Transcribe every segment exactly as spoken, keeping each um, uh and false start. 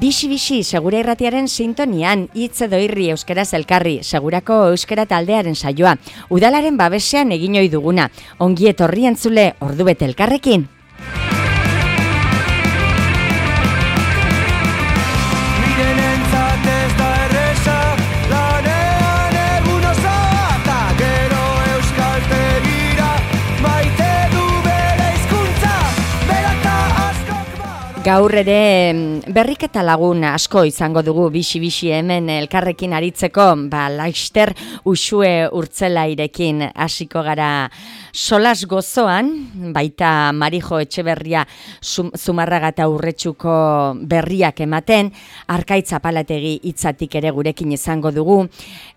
Bixi-bixi segura irratiaren sintonian, hitz edo irri euskaraz elkarri, segurako euskara taldearen saioa. Udalaren babesean egin ohi duguna. Ongi etorri entzule, ordubete elkarrekin. Gaur ere berriketa lagun asko izango dugu bixi-bixi hemen elkarrekin aritzeko, ba, Laster Uxue Urtzelairekin hasiko gara solas gozoan, baita Marijo Etxeberria Zumarraga eta Urretxuko berriak ematen, Arkaitz Apalategi hitzatik ere gurekin izango dugu,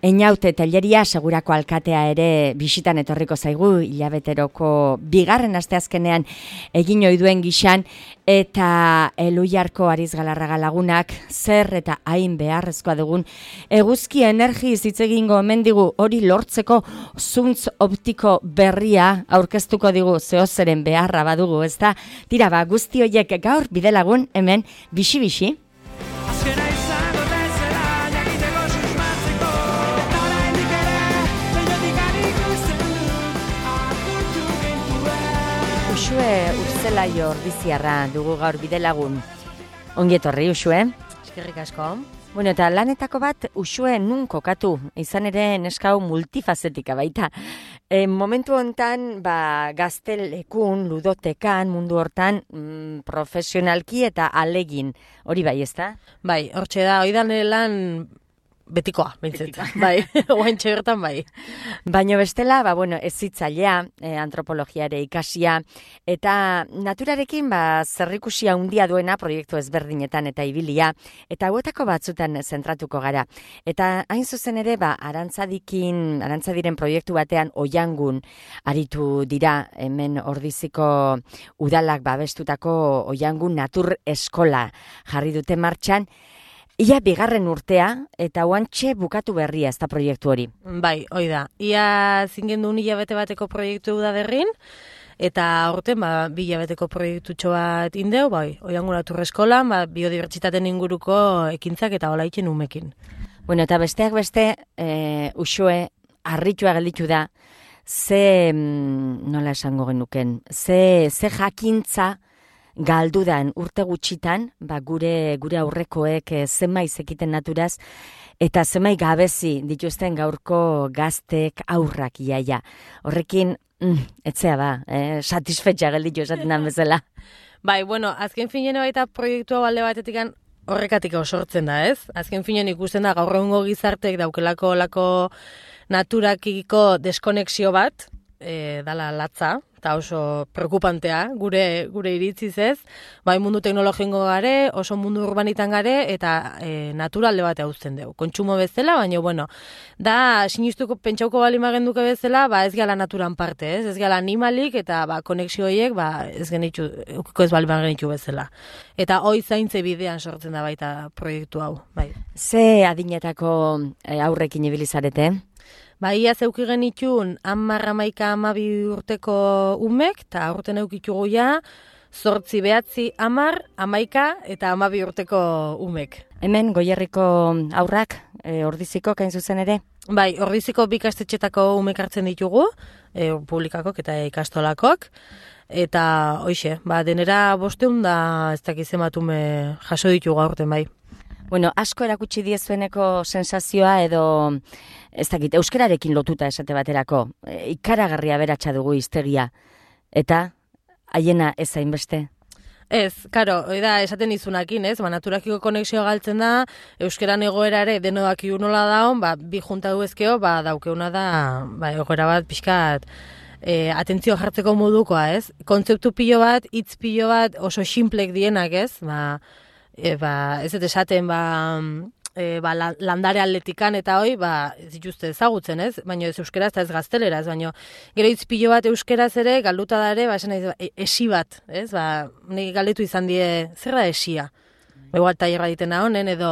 Einaute Telleria segurako alkatea ere bisitan etorriko zaigu, hilabeteroko bigarren asteazkenean egin ohi duen gixan, eta Eluiarko Arizgalarraga lagunak zer eta hain beharrezkoa dugun eguzki energiz hitz egingo omen digu, hori lortzeko zuntz optiko berria aurkeztuko digu, zehozeren beharra badugu, ezta? Tira ba, guzti horiek gaur bidelagun hemen bixi-bixi. Uxue Urtzelaio Ordiziarra dugu gaur bidelagun. Ongi etorri, Uxue. Eskerrik asko. Bueno, eta lanetako bat Uxue nun kokatu, izan ere neskau multifazetika baita. E, momentu hontan, ba, gaztelekun, ludotekan, mundu hortan, mm, profesionalki eta alegin. Hori bai, ezta? Bai, hortxe da, hori da nire lan betikoa, bintzet. Bai, oaintxe bertan bai. Baina bestela, ba, bueno, ez zitzailea, eh, antropologia ere ikasia, eta naturarekin ba, zerrikusia handia duena proiektu ezberdinetan eta ibilia, eta hauetako batzutan zentratuko gara. Eta hain zuzen ere, ba, arantzadikin, arantzadiren proiektu batean oiangun aritu dira, hemen Ordiziko udalak babestutako oiangun natur eskola jarri dute martxan. Ia bigarren urtea, eta oantxe bukatu berria ez da proiektu hori. Bai, hoi da. Ia zingen duen hilabete bateko proiektu da berrin, eta aurten ba, bi hilabeteko proiektu bat indeu, bai, oiangun natur eskolan, ba, biodibertsitaten inguruko ekintzak eta hola itxen umekin. Bueno, eta besteak beste, e, Uxue, harritua gelditu da, ze, nola esango genuken, ze, ze jakintza, galdudan urte gutxitan, ba, gure gure aurrekoek e, zenbait zekiten naturaz, eta zenbait gabezi dituzten gaurko gaztek aurrak iaia. Horrekin, mm, etzea ba, eh, satisfetxa gelditu esaten dan bezala. Bai, bueno, azken finean baita proiektua balde batetik horrekatik sortzen da, ez? Azken finean ikusten da gaur egungo gizartek daukelako lako naturakiko deskonexio bat, e, dala latza, eta oso preokupantea, gure gure iritziz ez, bai mundu teknologiko gare, oso mundu urbanitan gare, eta e, naturalde bat hauzten dugu. Kontsumo bezala, baina, bueno, da, sinistuko pentsauko bali magenduke bezala, ba, ez gala naturan parte, ez, ez gala animalik, eta ba, konexio horiek, ba, ez genitxu, ez bali magenitxu bezala. Eta hoi zaintze bidean sortzen da baita proiektu hau, bai. Ze adinetako e, aurrekin ibilizarete? Ba, ia zeuki genitxun, hamar hamaika hamabi urteko umek, eta aurten eukitugu ja, zortzi behatzi hamar, hamaika eta hamabi urteko umek. Hemen, Goierriko aurrak, e, Ordiziko, kain zuzen ere? Bai, Ordiziko bi ikastetxetako umek hartzen ditugu, e, publikakok eta ikastolakok, eta hoixe, ba, denera bosteun da ez dakiz ematume jaso ditugu aurten bai. Bueno, asko erakutsi diezueneko sensazioa edo, ez dakit, euskararekin lotuta esate baterako, e, ikaragarria beratsa dugu hiztegia, eta haiena ez hainbeste? Ez, karo, da esaten izunakin, ez, ba, naturakiko konexioa galtzen da, euskaran egoera ere denodaki nola daun, ba, bi junta duezkeo, ba, daukeuna da, ba, egoera bat pixkat, e, atentzio jartzeko modukoa, ez, kontzeptu pilo bat, hitz pilo bat, oso xinplek dienak, ez, ba, E, ba, ez dut esaten, ba, e, ba, landare atletikan eta hoi, ba, ez dituzte ezagutzen, ez? Baina ez euskeraz eta ez gazteleraz, baina gero itzpilo bat euskeraz ere, galduta da ere, ba, esan nahi, e, esi bat, ez? Ba, nik galdetu izan die, zer da esia? Egoal tailerra ditena honen, edo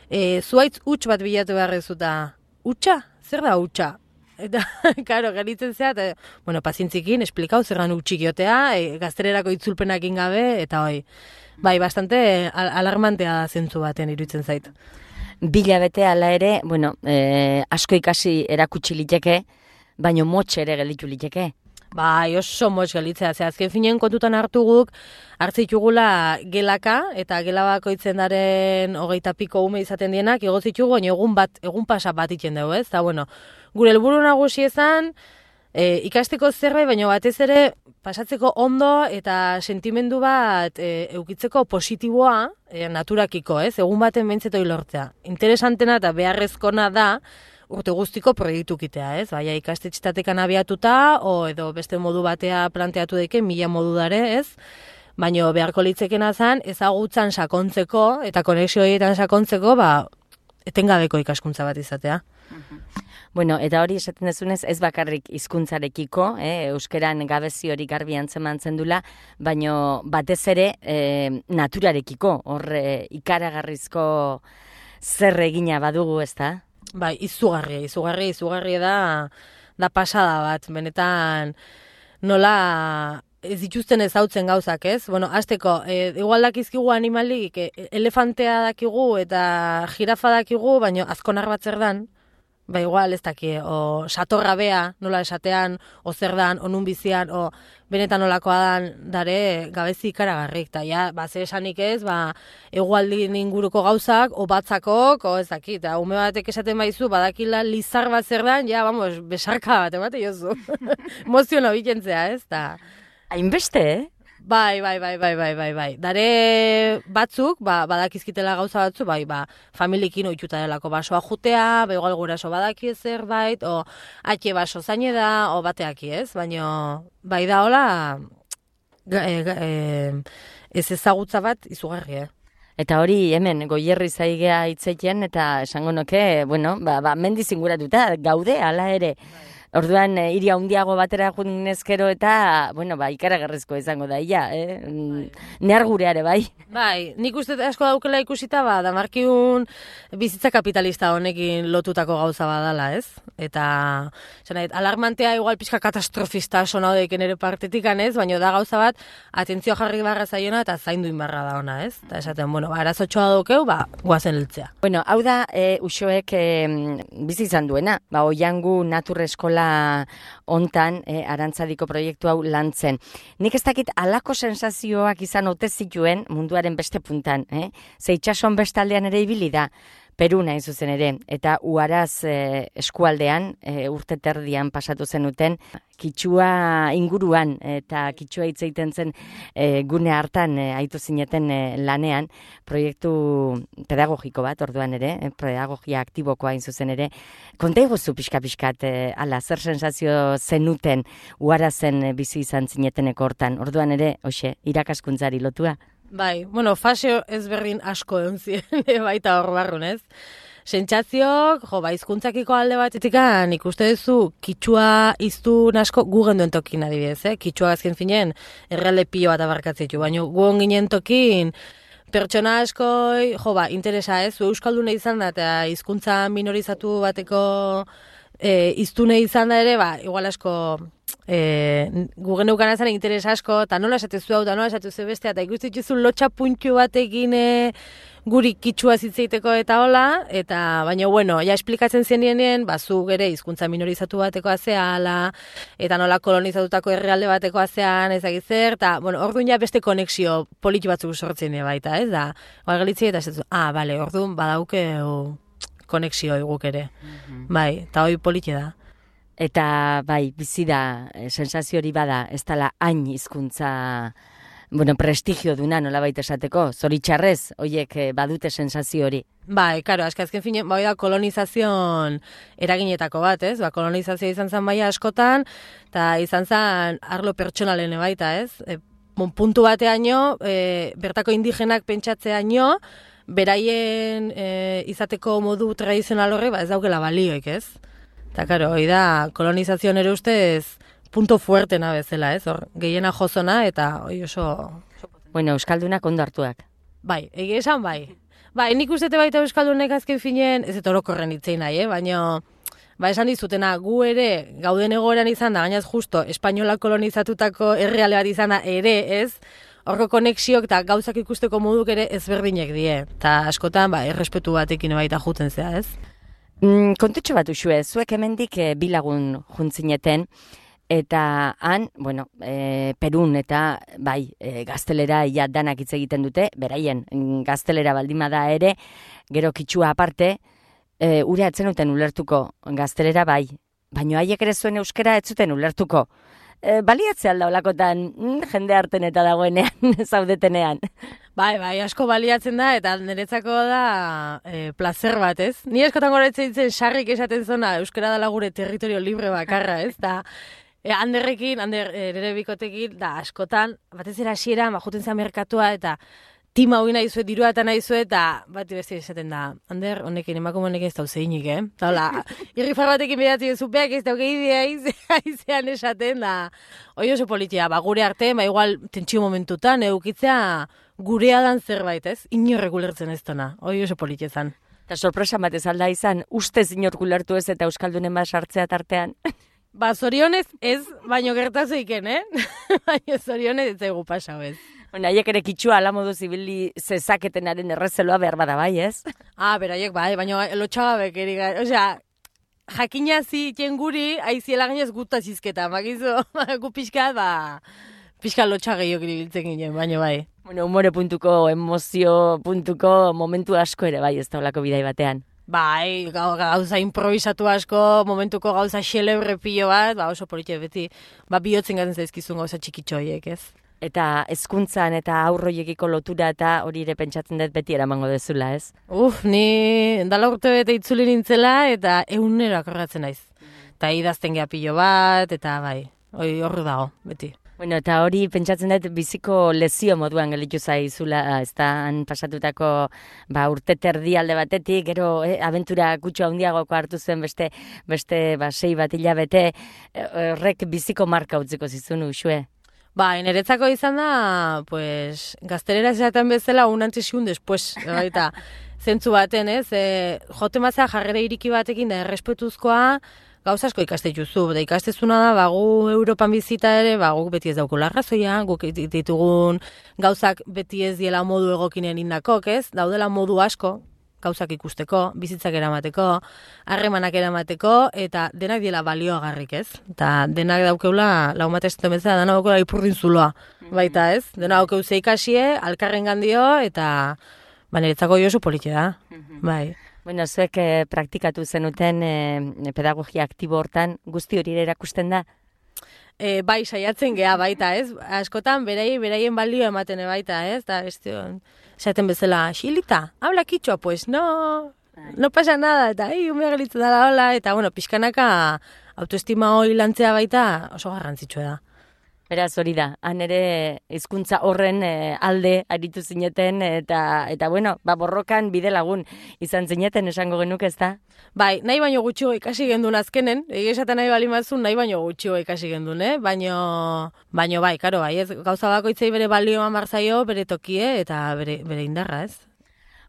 e, zuaitz huts bat bilatu behar ezuta, hutsa? Zer da hutsa? Eta, karo, geritzen zea, eta, bueno, pazientzikin, esplikau, zerran utxikiotea, e, gaztererako itzulpenakin gabe, eta hoi, bai, bastante al alarmantea zentzu baten iruditzen zait. Bila bete ala ere, bueno, e, asko ikasi erakutsi liteke, baino motxe ere gelditu liteke. Bai, oso motx gelitzea, ze azken finen kontutan hartu guk, hartzitugula gelaka, eta gela bakoitzen daren hogeita piko ume izaten dienak, igozitugu, baina egun bat, egun pasa bat iten dugu, ez? Eta, bueno, gure helburu nagusi ezan, e, ikasteko zerbait, baina batez ere pasatzeko ondo eta sentimendu bat e, eukitzeko positiboa e, naturakiko, ez? Egun baten beintzetoi lortzea. Interesantena eta beharrezkona da urte guztiko proiektukitea, ez? Baina ikastetxetatekan abiatuta, o edo beste modu batea planteatu deke, mila modu dare, ez? Baina beharko litzekena zen, ezagutzan sakontzeko eta konexio horietan sakontzeko, ba, etengabeko ikaskuntza bat izatea. Bueno, eta hori esaten dezunez, ez bakarrik hizkuntzarekiko, eh, euskeran gabezi hori garbi antzemantzen dula, baino batez ere eh, naturarekiko, hor eh, ikaragarrizko zer egina badugu, ezta? Bai, izugarria, izugarria, izugarria da, da pasada bat, benetan nola ez dituzten ezautzen gauzak, ez? Bueno, hasteko, e, igual dakizkigu animalik, e, elefantea dakigu eta jirafa dakigu, baina azkonar bat zer dan, ba igual ez daki, o satorra bea, nola esatean, o zer dan, o nun bizian, o benetan nolakoa dan, dare gabezi ikaragarrik, eta ja, ba, ze esanik ez, ba, egualdin inguruko gauzak, o batzakok, o ez daki, eta ume batek esaten baizu, badakila lizar bat zer dan, ja, vamos, besarka bat, emate jozu. Emoziono bikentzea, ez, eta... Hainbeste, eh? Bai, bai, bai, bai, bai, bai, bai. Dare batzuk, ba, badakizkitela gauza batzu, bai, ba, familikin oituta delako basoa jutea, begoal guraso badaki zerbait, o atxe baso zaine da, o bateaki ez, baina bai da hola, e, e, ez ezagutza bat izugarri, eh? Eta hori hemen goierri zaigea hitzeiten eta esango noke, bueno, ba, ba mendiz inguratuta gaude hala ere. Orduan, e, hiri handiago batera junezkero eta, bueno, ba, ikaragarrizko izango da, ia, eh? Nehar gureare, bai? Bai, nik uste asko daukela ikusita, ba, damarkiun bizitza kapitalista honekin lotutako gauza badala, ez? Eta, zanait, alarmantea igual pixka katastrofista sona deiken ere partetikan, ez? Baina da gauza bat, atentzio jarri barra zaiona eta zaindu inbarra da ona, ez? Eta esaten, bueno, ba, arazotxoa daukeu, ba, guazen heltzea. Bueno, hau da, e, uxoek e, bizi izan duena, ba, Oiangu Natur Eskola hontan e, Arantzadiko proiektu hau lantzen. Nik ez dakit alako sensazioak izan ote zituen munduaren beste puntan, eh? Ze itxason bestaldean ere ibili da, Peru nahi zuzen ere, eta Uaraz e, eskualdean, e, urte terdian pasatu zenuten, Kitsua inguruan eta Kitsua hitz egiten zen e, gune hartan e, aitu zineten e, lanean, proiektu pedagogiko bat, orduan ere, e, pedagogia aktibokoa hain zuzen ere. Konta iguzu pixka-pixkat, e, ala, zer sensazio zenuten Uarazen e, bizi izan zineteneko hortan, orduan ere, hoxe, irakaskuntzari lotua? Bai, bueno, fase ezberdin asko egon ziren, baita hor barrun, ez? Sentsazioak, jo, ba, hizkuntzakiko alde batetik ikuste duzu Kitsua hiztun asko gu genduen tokin adibidez, eh? Kitsua azken finen errealde pilo bat abarkatzitu, baina gu ginen tokin pertsona askoi, jo, ba, interesa, ez? Zu euskalduna izan da, eta hizkuntza minorizatu bateko hiztune izan da ere, ba, igual asko... E, gu geneukan azan interes asko, eta nola esatezu hau, eta nola esatezu bestea, eta ikustitzuzu lotxa puntxu batekin e, guri Kitsua zitzeiteko eta hola, eta baina, bueno, ja esplikatzen zenien, ba, zu gere hizkuntza minorizatu bateko azeala, eta nola kolonizatutako herrialde bateko azean, ezagizer, eta, bueno, orduan ja beste konexio politi batzuk sortzen baita, ez da? Oa galitzei eta esatezu, ah, bale, orduan badauke o, konexio eguk ere, mm-hmm. Bai, eta hoi politi da. Eta bai, bizi da, sensazio hori bada, ez dela hain hizkuntza, bueno, prestigio duna nola baita esateko, zoritxarrez, horiek badute sensazio hori. Bai, karo, azken fine, bai da kolonizazion eraginetako bat, ez? Ba, kolonizazioa izan zen baia askotan, eta izan zen arlo pertsonalen baita, ez? E, bon, puntu bateaino, e, bertako indigenak pentsatzeaino, beraien e, izateko modu tradizional horre, ba, ez daukela balioik, ez? Eta, karo, hori da, kolonizazioan ere ustez punto fuertena bezala, ez? Hor, gehiena jozona eta hori oso... Bueno, euskaldunak ondo hartuak. Bai, egia esan bai. Bai, nik ustete baita euskaldunek azken finen, ez eta orokorren hitzein nahi, eh? Baina ba esan dizutena, gu ere gauden egoeran izan da, gainaz justo, espainola kolonizatutako herrialde bat izan da ere, ez? Horko konexiok eta gauzak ikusteko moduk ere ezberdinek die. Eta askotan, ba, errespetu batekin baita juten zea, ez? Mm, kontutxo bat usue, zuek hemendik e, bilagun juntzineten, eta han, bueno, e, Perun eta bai, e, gaztelera ia danak hitz egiten dute, beraien gaztelera baldima da ere, gero kitsua aparte, e, ure atzen uten ulertuko gaztelera bai, baino haiek ere zuen euskera ez zuten ulertuko. E, baliatzea alda olakotan mm, jende harten eta dagoenean, zaudetenean. Bai, bai, asko baliatzen da, eta niretzako da e, placer bat, ez? Ni askotan goretzen ditzen sarrik esaten zona, euskara dela gure territorio libre bakarra, ez? Da, e, handerrekin, hander ere bikotekin, da, askotan, batez era hasiera, majuten zen merkatua, eta tima hori nahi zuet, dirua eta nahi zuet, eta bat beste esaten da, Ander, honekin, emakume honekin ez dauz zeinik, eh? Eta hola, irrifar batekin bedatzen zupeak ez dauk egidea aizean esaten, da, hoi oso politia, ba, gure arte, ba, igual, tentsio momentutan, eukitzea gurea dan zerbait, ez? Inorrek ulertzen ez dona, hoi oso politia zan. Eta sorpresa bat ez alda izan, ustez inork ulertu ez eta euskaldunen bat sartzea tartean. Ba, zorionez ez, baino gertazuiken, eh? Baina zorionez ez zaigu pasau ez. Haiek ere kitsua ala modu zibili zezaketenaren errezeloa behar bada bai, ez? Ah, beraiek bai, baina lotxagabek eri gai. Osea, jakina ziten guri, aiziela gainez guta zizketa, makizu, gu pixka, ba, pixka lotxageio giribiltzen ginen, baina bai. Bueno, humore puntuko, emozio puntuko momentu asko ere bai, ez da olako bidai batean. Bai, gauza improvisatu asko, momentuko gauza xelebre pilo bat, ba, oso politia beti, ba, bihotzen gaten zaizkizun gauza txikitxoiek, ez? Eta hezkuntzan eta aurroiekiko lotura eta hori ere pentsatzen dut beti eramango dezula, ez? Uf, ni dala urte bete itzuli nintzela eta egunero akorratzen naiz. Eta idazten geha pilo bat, eta bai, hori horru dago, beti. Bueno, eta hori pentsatzen dut biziko lezio moduan gelitu zaizula, ez da, han pasatutako ba, urte terdi alde batetik, gero eh, abentura kutsu handiagoko hartu zen beste, beste ba, sei bat hilabete, horrek biziko marka utziko zizun usue. Ba, niretzako izan da, pues, gaztelera esaten bezala un antes y un después, eta zentzu baten, ez, e, jote mazea jarrera iriki batekin da errespetuzkoa, gauza asko ikastetuzu, da ikastezuna da, bagu Europan bizita ere, bagu beti ez daukula arrazoia, guk ditugun gauzak beti ez diela modu egokinen indakok, ez, daudela modu asko, gauzak ikusteko, bizitzak eramateko, harremanak eramateko, eta denak diela balioagarrik, ez? Eta denak daukeula, lau matezetan bezala, denak daukeula ipurdin zuloa, baita, ez? Denak daukeu ze ikasie, alkarren gandio, eta ba, niretzako oso politia da, bai. Bueno, zuek eh, praktikatu zenuten eh, pedagogia aktibo hortan, guzti hori erakusten da? E, bai, saiatzen geha baita, ez? Askotan, berai, beraien balio ematen baita, ez? Da, ez esaten bezala, Xilita, habla kitxoa, pues, no, no pasa nada, eta, ei, umea gelitzen dala, hola, eta, bueno, pixkanaka autoestima hori lantzea baita oso garrantzitsua da. Beraz hori da, han ere hizkuntza horren e, alde aritu zineten, eta, eta bueno, ba, borrokan bide lagun izan zineten esango genuke, ez da? Bai, nahi baino gutxio ikasi gendun azkenen, egia esaten nahi bali mazun, nahi baino gutxio ikasi gendun, eh? Baino, baino bai, karo, bai, ez, gauza bakoitzei bere balioa marzaio, bere tokie, eta bere, bere indarra, ez?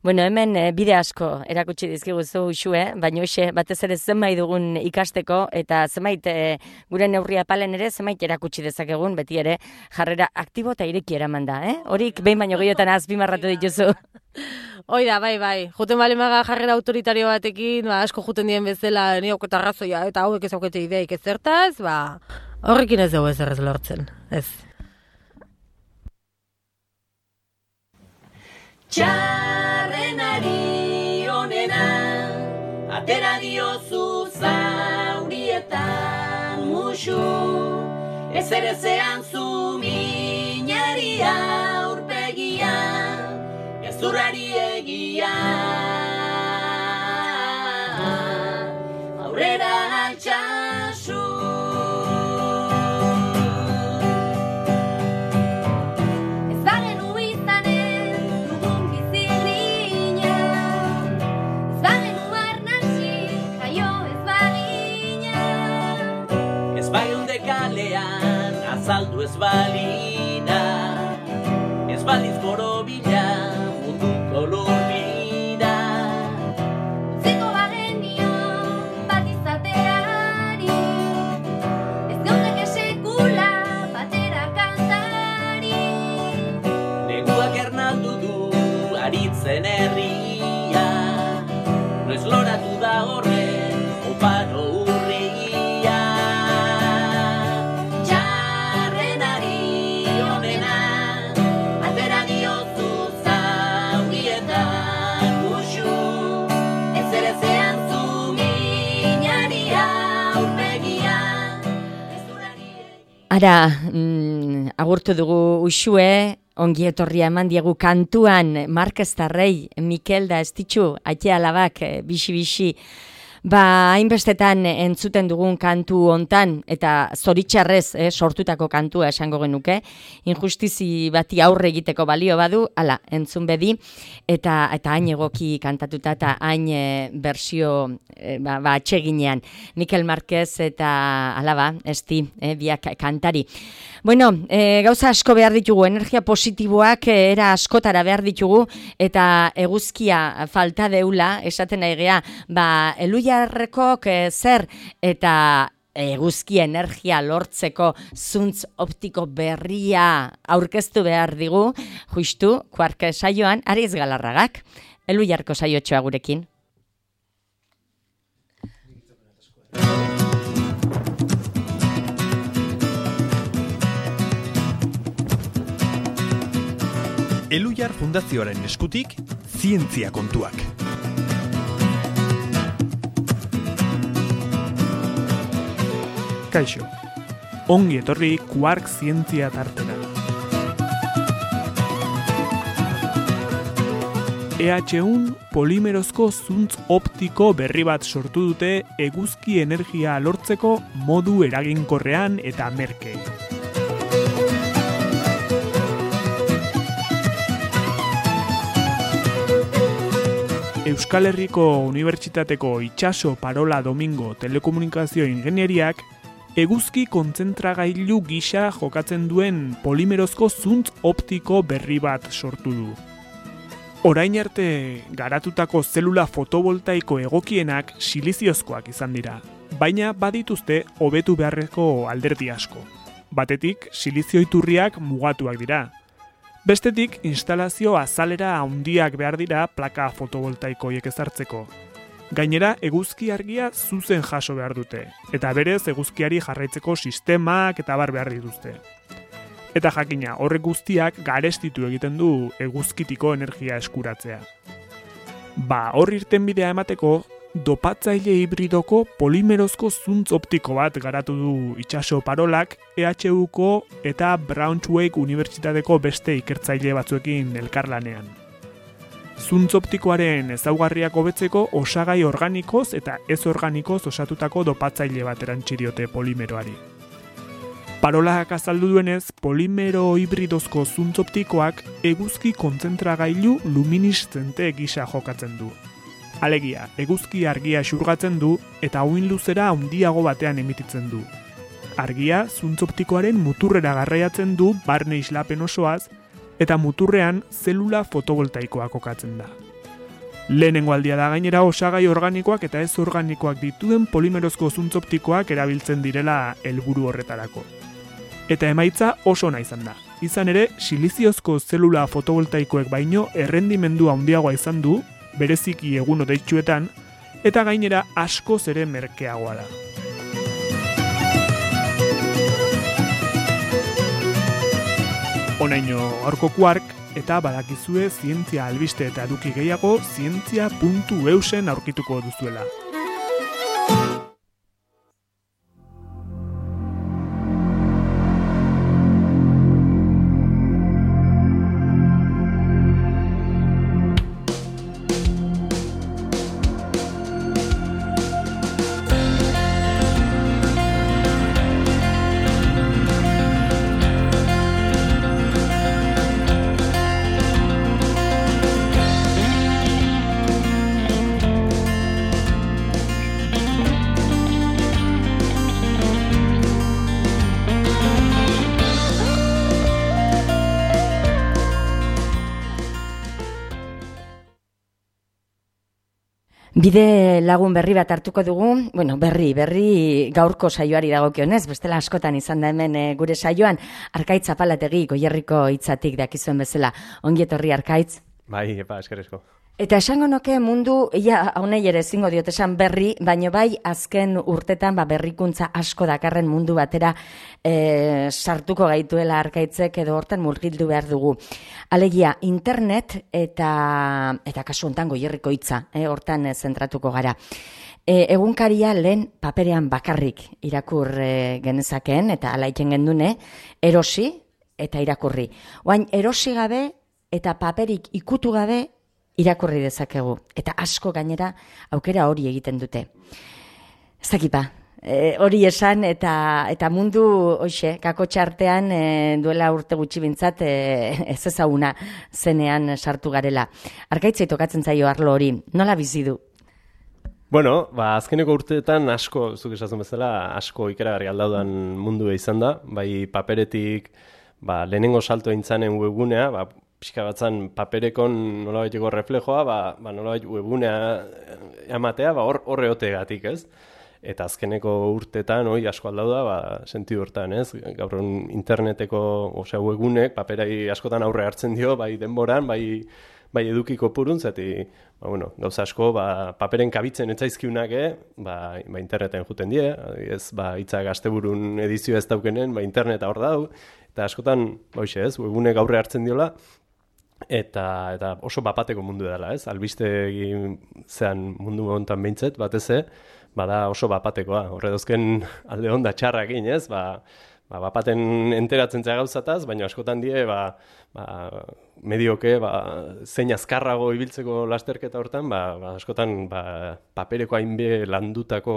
Bueno, hemen e, bide asko erakutsi dizkiguzu usue, baina hoxe batez ere zenbait dugun ikasteko eta zenbait e, gure neurria palen ere zenbait erakutsi dezakegun beti ere jarrera aktibo eta ireki eraman da, eh? Horik behin baino gehiotan azpimarratu dituzu. Hoi da, bai, bai. Juten balemaga jarrera autoritario batekin, ba, asko juten dien bezala, ni hauketa arrazoia, eta hauek ez haukete ideik ez zertaz, ba, horrekin ez dugu ez errez lortzen, ez. Txarrenari onena, atera diozu zaurietan musu, ez ere zean zu minari aurpegia, ez urrari egia. Aurrera altxasu. Azaldu ez balina, ez baliz borobila, munduko lurbila. Utziko bagenio, bat izate zen herria, noiz loratu da horren oparo urria. Txarrenari onena, atera diozu zaurietan uxu, ez ere zean zu minari aurpegia. Ara, mm, agurtu dugu Uxue, ongi etorria eman diegu kantuan Markeztarrei, Mikel da Estitxu, aite alabak, bixi-bixi, ba, hainbestetan entzuten dugun kantu hontan, eta zoritxarrez eh, sortutako kantua esango genuke, injustizi bati aurre egiteko balio badu, ala, entzun bedi, eta eta hain egoki kantatuta eta hain e, bersio e, ba, ba, atseginean. Mikel Marquez eta alaba, esti, e, biak kantari. Bueno, e, gauza asko behar ditugu, energia positiboak e, era askotara behar ditugu, eta eguzkia falta deula, esaten nahi gea, ba, elujarrekok e, zer, eta eguzki energia lortzeko zuntz optiko berria aurkeztu behar digu, justu, kuark saioan, Ariz Galarragak, elujarko saiotxoa gurekin. Elujar Fundazioaren eskutik, zientzia kontuak. Kaixo, ongi etorri Kuark zientzia tartera. E H ehun polimerozko zuntz optiko berri bat sortu dute eguzki energia lortzeko modu eraginkorrean eta merke. Euskal Herriko Unibertsitateko Itxaso Parola Domingo Telekomunikazio Ingenieriak eguzki kontzentragailu gisa jokatzen duen polimerozko zuntz optiko berri bat sortu du. Orain arte garatutako zelula fotovoltaiko egokienak siliziozkoak izan dira, baina badituzte hobetu beharreko alderdi asko. Batetik, silizio iturriak mugatuak dira. Bestetik, instalazio azalera handiak behar dira plaka fotovoltaikoiek ezartzeko. Gainera, eguzki argia zuzen jaso behar dute, eta berez eguzkiari jarraitzeko sistemak eta bar behar dituzte. Eta jakina, horrek guztiak garestitu egiten du eguzkitiko energia eskuratzea. Ba, hor irtenbidea emateko, dopatzaile hibridoko polimerozko zuntz optiko bat garatu du Itxaso Parolak E H Uko eta Braunschweig Unibertsitateko beste ikertzaile batzuekin elkarlanean. Zuntz optikoaren ezaugarriak hobetzeko osagai organikoz eta ez organikoz osatutako dopatzaile bat erantsi diote polimeroari. Parolak azaldu duenez, polimero hibridozko zuntz optikoak eguzki kontzentragailu lumineszente gisa jokatzen du. Alegia, eguzki argia xurgatzen du eta uhin luzera handiago batean emititzen du. Argia zuntz optikoaren muturrera garraiatzen du barne islapen osoaz eta muturrean zelula fotovoltaikoa kokatzen da. Lehenengo aldia da gainera osagai organikoak eta ez organikoak dituen polimerozko zuntz optikoak erabiltzen direla helburu horretarako. Eta emaitza oso ona izan da. Izan ere, siliziozko zelula fotovoltaikoek baino errendimendu handiagoa izan du, bereziki egun hodeitsuetan, eta gainera askoz ere merkeagoa da. Honaino gaurko Kuark, eta badakizue zientzia albiste eta eduki gehiago zientzia puntu eusen aurkituko duzuela. Bide lagun berri bat hartuko dugu, bueno, berri, berri gaurko saioari dagokionez, bestela askotan izan da hemen e, gure saioan, Arkaitz Apalategi Goierriko hitzatik dakizuen bezala. Ongi etorri Arkaitz. Bai, epa, eskerrezko. Eta esango noke mundu, ia, haunei ere ezingo diot esan berri, baino bai azken urtetan ba, berrikuntza asko dakarren mundu batera e, sartuko gaituela arkaitzek edo hortan murgildu behar dugu. Alegia, internet eta, eta kasu hontan Goierriko hitza, e, hortan e, zentratuko gara. E, egunkaria lehen paperean bakarrik irakur e, genezakeen eta alaiten gendune, erosi eta irakurri. Oain, erosi gabe eta paperik ikutu gabe irakurri dezakegu. Eta asko gainera aukera hori egiten dute. Ez dakipa, e, hori esan eta eta mundu hoxe, kakotxa artean e, duela urte gutxi bintzat e, ez ezaguna zenean sartu garela. Arkaitzei tokatzen zaio arlo hori, nola bizi du? Bueno, ba, azkeneko urteetan asko, zuk esatzen bezala, asko ikeragarri aldaudan mundu izan da, bai paperetik, ba, lehenengo salto intzanen webgunea, ba, pixka batzan paperekon nolabaiteko reflejoa, ba, ba nolabait webgunea ematea, ba, hor, horre otegatik, ez? Eta azkeneko urtetan, hoi, asko aldau da, ba, sentidu hortan, ez? Gaur interneteko, osea, webgunek, paperai askotan aurre hartzen dio, bai denboran, bai, bai edukiko purun, zati, ba, bueno, gauza asko, ba, paperen kabitzen etzaizkiunak, ba, ba, interneten juten die, ez, ba, hitzak asteburun edizio ez daukenen, ba, interneta hor dau, eta askotan, ba, hoxe, ez, webgunek aurre hartzen diola, Eta, eta oso bapateko mundu dela, ez? Albiste zean mundu hontan behintzet, batez bada oso bapatekoa. Horre dozken alde honda txarrakin, ez? Ba, ba, bapaten enteratzen zea gauzataz, baina askotan die, ba, ba, medioke, ba, zein azkarrago ibiltzeko lasterketa hortan, ba, ba, askotan ba, papereko hainbe landutako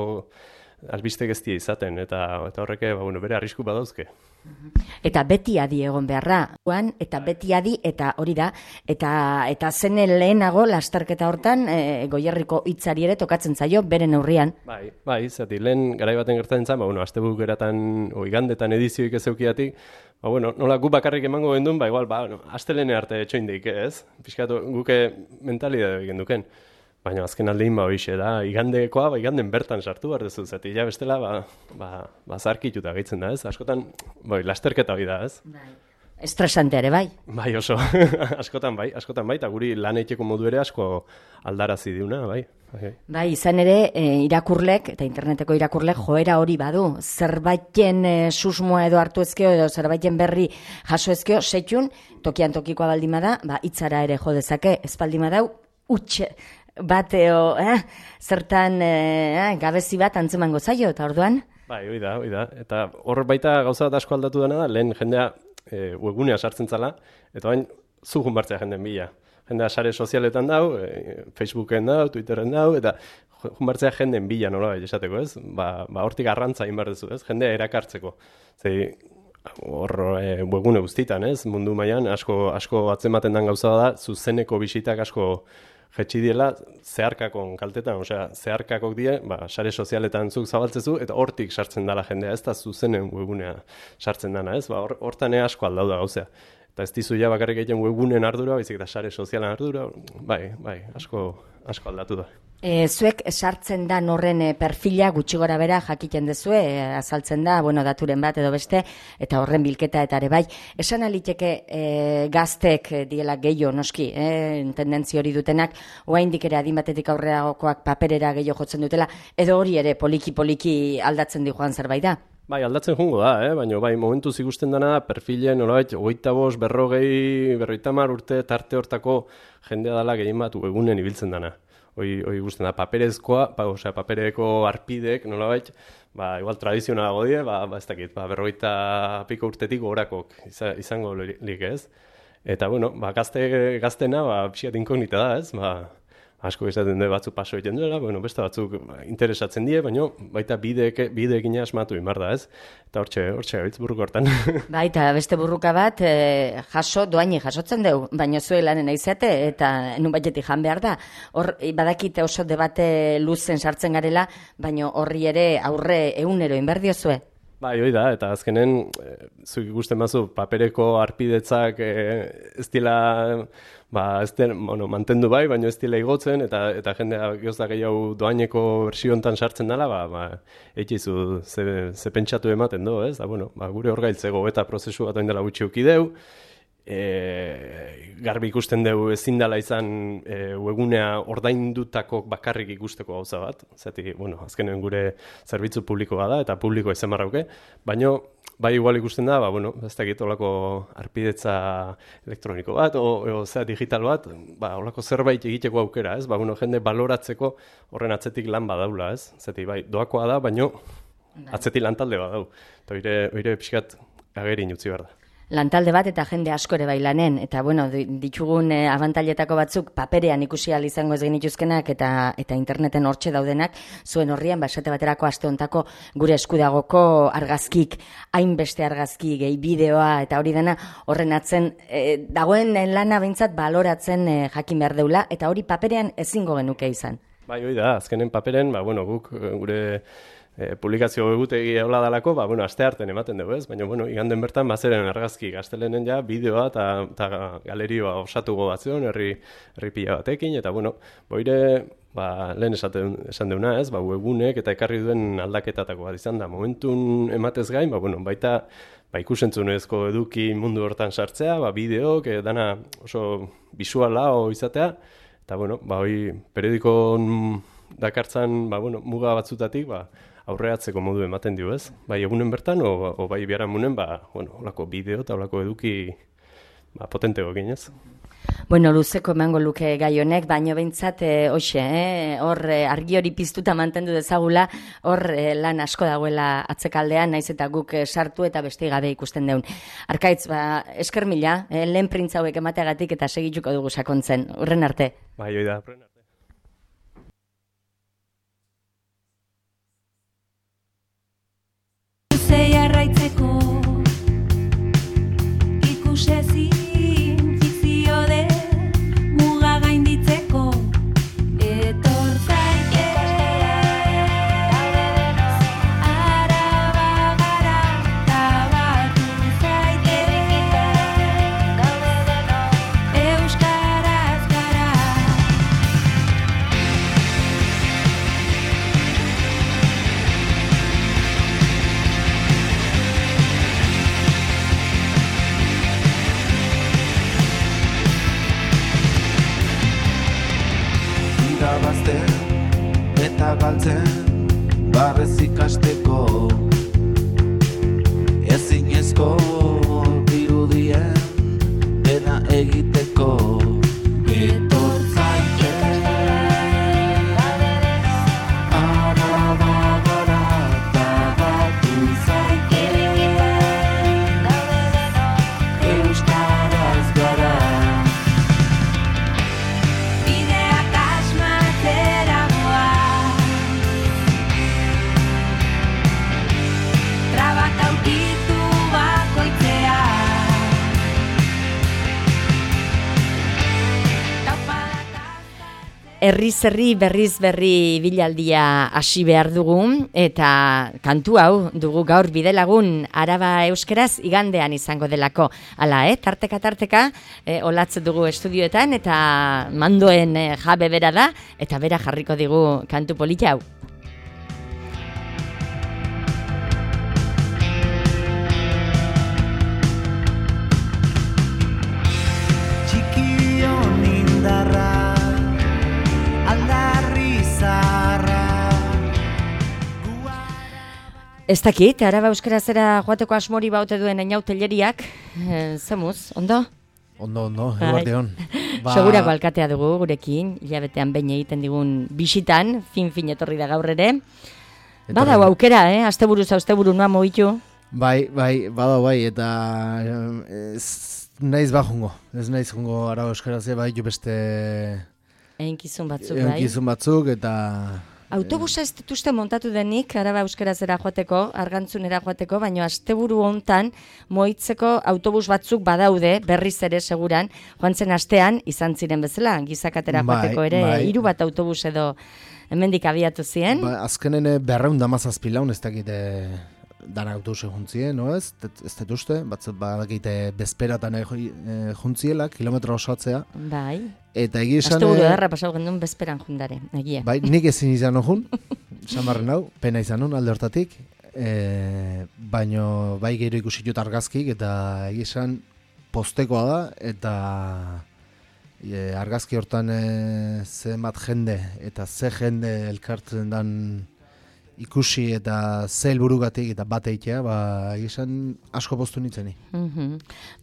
albiste geztia izaten, eta, eta horreke ba, bueno, bere arrisku badauzke. Eta beti adi egon beharra, Juan, eta beti adi, eta hori da, eta eta zene lehenago lasterketa hortan e, Goierriko hitzari ere tokatzen zaio, bere neurrian. Bai, bai, zati, lehen garai baten gertatzen zen, ba, bueno, astebukeratan, o igandetan edizioik ez eukiatik, ba, bueno, nola gu bakarrik emango gendun, ba, igual, ba, no, astelene arte etxoindik, ez? Piskatu, guke mentalidade genduken. Baina azken aldein ba hoixe da, igandekoa, ba, iganden bertan sartu behar dezu, zati, ja bestela, ba, ba, ba zarkituta gaitzen da, ez? Askotan, bai, lasterketa hori da, ez? Bai. Estresante ere, bai? Bai, oso, askotan bai, askotan bai, eta guri lan eiteko modu ere asko aldarazi diuna, bai. Bai, bai izan ere, e, irakurlek, eta interneteko irakurlek joera hori badu, zerbaiten e, susmoa edo hartu ezkeo, edo zerbaiten berri jaso ezkeo, setxun, tokian tokikoa baldima da, ba, hitzara ere jo dezake, ez baldima dau, utxe, bateo, eh? Zertan eh, gabezi bat antzemango zaio, eta orduan? Bai, hoi da, hoi da. Eta hor baita gauza bat asko aldatu dena da, lehen jendea e, webgunea sartzen zala, eta bain zugun bartzea jenden bila. Jendea sare sozialetan dau, e, Facebooken dau, Twitteren dau, eta jun bartzea jenden bila nola bai esateko, ez? Ba, ba hortik arrantza inbardezu, ez? Jendea erakartzeko. Zei, hor e, webgune guztitan, ez? Mundu mailan asko, asko atzematen den gauza da, zuzeneko bisitak asko jetxi diela zeharkakon kaltetan, osea, zeharkakok die, ba, sare sozialetan zuk zabaltzezu, eta hortik sartzen dela jendea, ez da zuzenen webgunea sartzen dana, ez? Ba, hortan or, asko aldau da gauzea. Eta ez dizu ja bakarrik egiten webgunen ardura, baizik eta sare sozialen ardura, bai, bai, asko, asko aldatu da. E, zuek sartzen da horren perfila gutxi gora bera jakiten dezue, e, azaltzen da, bueno, daturen bat edo beste, eta horren bilketa eta ere bai. Esan aliteke e, gaztek diela gehiago noski, e, tendentzi hori dutenak, oraindik ere adin batetik aurreragokoak paperera gehiago jotzen dutela, edo hori ere poliki-poliki aldatzen di joan zerbait da? Bai, aldatzen jungo da, eh? Baina bai, momentuz ikusten dena perfilen, nolabait, hogeita bost, berrogei, berrogeita hamar urte tarte hortako jendea dela gehien bat egunen ibiltzen dana. Hoi, hoi ikusten da, paperezkoa, pa, osea, papereko arpidek, nolabait, ba, igual tradizionalago die, ba, ba, ez dakit, ba, berrogeita piko urtetik gorakok izango lik, ez? Eta, bueno, ba, gazte, gaztena, ba, pixat inkognita da, ez? Ba, asko izaten du batzu paso egiten duela, bueno, beste batzuk interesatzen die, baina baita bideek, bideekin asmatu imar da, ez? Eta hortxe, hortxe gaitz burruko hortan. Baita, beste burruka bat, e, jaso, doaini jasotzen deu, baina zue lanen aizate, eta nun batetik jan behar da. Hor, badakite oso debate luzen sartzen garela, baina horri ere aurre egunero inberdio zue. Bai, hoi da, eta azkenen, e, zuk ikusten bazu, papereko arpidetzak e, ez dila, ba, ez den, bueno, mantendu bai, baina ez dila igotzen, eta, eta jendea gehozda gehiago doaineko bersio hontan sartzen dela, ba, ba, eikizu ze, ze pentsatu ematen do, ez? Da, bueno, ba, gure hor gailtzego eta prozesu bat oindela gutxi ukideu, e, garbi ikusten dugu ezin dela izan e, webgunea ordaindutako bakarrik ikusteko gauza bat. Zati, bueno, azkenen gure zerbitzu publikoa da eta publikoa izan barrauke, baina bai igual ikusten da, ba, bueno, ez dakit olako arpidetza elektroniko bat, o, o zera digital bat, ba, olako zerbait egiteko aukera, ez? Ba, bueno, jende baloratzeko horren atzetik lan badaula, ez? Zati, bai, doakoa da, baina atzetik lan talde badau. Eta oire, oire pixkat agerin utzi behar da. Lantalde bat eta jende asko ere bai lanen, eta bueno, ditugun eh, abantailetako batzuk paperean ikusi ahal izango ez genituzkenak eta eta interneten hortxe daudenak, zuen horrian, basate baterako aste hontako gure eskudagoko argazkik, hainbeste argazki, gehi bideoa eta hori dena horren atzen, eh, dagoen lana behintzat baloratzen eh, jakin behar deula, eta hori paperean ezingo genuke izan. Bai, hoi da, azkenen paperen, ba, bueno, guk gure E, publikazio egutegi hola dalako, ba, bueno, aste harten ematen dugu, ez? Baina, bueno, iganden bertan bazeren argazki gaztelenen ja, bideoa eta galerioa osatuko batzion, herri, herri pila batekin, eta, bueno, boire, ba, lehen esaten, esan deuna, ez? Ba, webunek eta ekarri duen aldaketatako bat izan da. Momentun ematez gain, ba, bueno, baita, ba, ikusentzunezko eduki mundu hortan sartzea, ba, bideok, e, dana oso bisuala o izatea, eta, bueno, ba, hoi, periodikon dakartzan, ba, bueno, muga batzutatik, ba, aurreatzeko modu ematen dio, ez? Bai egunen bertan, o, o bai biharamunen, ba, bueno, olako bideo eta olako eduki ba, potentego ginez. Bueno, luzeko emango luke gai honek, baino behintzat, e, hoxe, eh? hor e, argi hori piztuta mantendu dezagula, hor e, lan asko dagoela atzekaldean, naiz eta guk e, sartu eta beste gabe ikusten deun. Arkaitz, ba, esker mila, e, lehen printza hauek emateagatik eta segituko dugu sakontzen. Urren arte. Bai, hoi da, urren arte. Jarraitzeko ikusezin fikzio de muga gainditzeko etor zaite araba gara tabatu zaite euskaraz gara. Irabazten eta galtzen barrez ikasteko ezinezko dirudien dena egiteko etor zaite araba gara tabatu zaite euskaraz gara. Herriz herri berriz berri bilaldia hasi behar dugu, eta kantu hau dugu gaur bidelagun Araba euskeraz igandean izango delako. Hala, eh? tarteka tarteka eh, olatze dugu estudioetan eta mandoen eh, jabe bera da, eta bera jarriko digu kantu polita hau. Txikion indarra Ez dakit, Araba euskerazera joateko asmori baute duen einautelleriak, e, zemuz, ondo? Ondo, ondo, eguarteon. Ba... Segurako alkatea dugu gurekin, hilabetean behin egiten digun bisitan, fin-fin etorri da gaur ere. Badau aukera, eh? Asteburuz asteburu noa mogitu. Bai, bai, badau bai, eta ez naiz ba jungo. Ez naiz jungo Araba euskarazea bai, jo beste... Einkizun batzuk, bai. Einkizun batzuk, eta... Autobusa ez dituzte montatu denik, Araba euskerazera joateko, argantzunera joateko, baina asteburu hontan moitzeko autobus batzuk badaude, berriz ere seguran, joan zen astean, izan ziren bezala, gizakatera joateko ere, bai. Hiru bat autobus edo hemendik abiatu ziren. Ba, azkenen berreun damazazpi laun ez dakite dana autobuse juntzien, no ez? Ez dut uste, batzut badakite bezperatan e, juntziela, kilometro osatzea. Bai. Eta egia esan... Asteburu edarra pasau gendun bezperan jundare, egia. Bai, nik ezin izan hojun, samarren hau, pena izan hon alde hortatik, e, baino bai gero ikusi jut argazkik, eta egia esan postekoa da, eta e, argazki hortan e, zenbat jende, eta ze jende elkartzen dan ikusi eta ze helburugatik eta bat eitea, ba, esan asko poztu nintzeni. Mhm.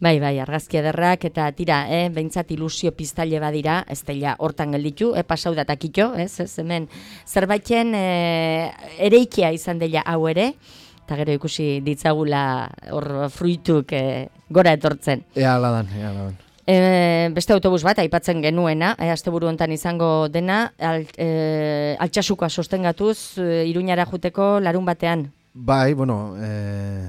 Bai, bai, argazki ederrak eta tira, eh, behintzat ilusio piztaile badira, ez dela hortan gelditu, eh, pasau datakito, ez, ez, hemen zerbaiten eh, ereikia izan dela hau ere, eta gero ikusi ditzagula hor fruituk eh, gora etortzen. Ea aladan, ea aladan. E, beste autobus bat aipatzen genuena, e, asteburu hontan izango dena, al, e, altxasukoa sostengatuz e, Iruñara juteko larun batean. Bai, bueno, e,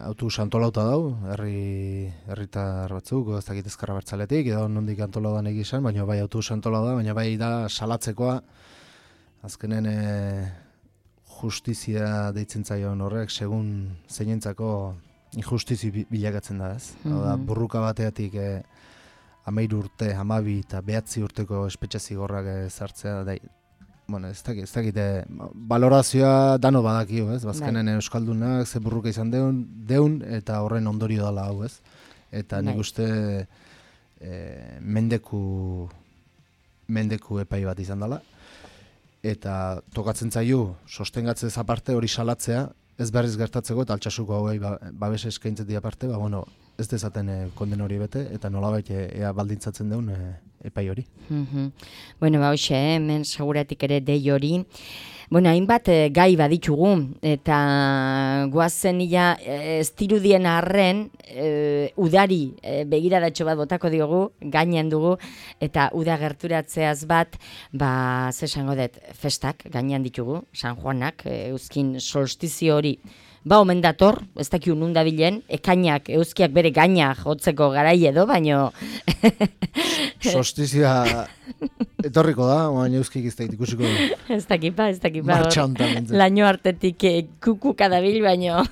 autobus antolauta dau, herri herritar batzuk, ez dakit ezkerra bertzaletik, edo nondik antolaudan egizan, baina bai autobus antolauda, baina bai da salatzekoa, azkenen e, justizia deitzen zaion horrek, segun zeinentzako injustizi bilakatzen da, ez? Mm -hmm. da, burruka bateatik e, amairu urte, hamabi eta behatzi urteko espetxe zigorrak ezartzea, da, bueno, ez dakit, ez dakit, e, balorazioa dano badakio, ez? Bazkenen euskaldunak ze burruka izan deun, deun eta horren ondorio dela hau, ez? Eta nik uste e, mendeku, mendeku epai bat izan dela, eta tokatzen zaio, sostengatzez aparte hori salatzea, ez berriz gertatzeko eta altxasuko hauei ba, babes eskaintzen aparte, ba, bueno, ez dezaten e, konden hori bete, eta nolabait e, ea baldintzatzen deun e, epai hori. Mm-hmm. Bueno, ba, hoxe, eh, hemen seguratik ere dei hori. Bueno, hainbat e, gai baditugu, eta guazen ia e, ez dirudien arren, e, udari e, begiradatxo bat botako diogu, gainean dugu, eta uda gerturatzeaz bat, ba, ze esango dut, festak gainean ditugu, San Juanak, e, euskin solstizio hori, ba, omen dator, ez dakiu nun dabilen, ekainak, euskiak bere gainak jotzeko garai edo, baino... Solstizioa etorriko da, baina euskik ez dakit ikusiko du. Ez dakipa, ez dakipa. Martxa hontan bentzen. Laino artetik eh, kukuka dabil, baino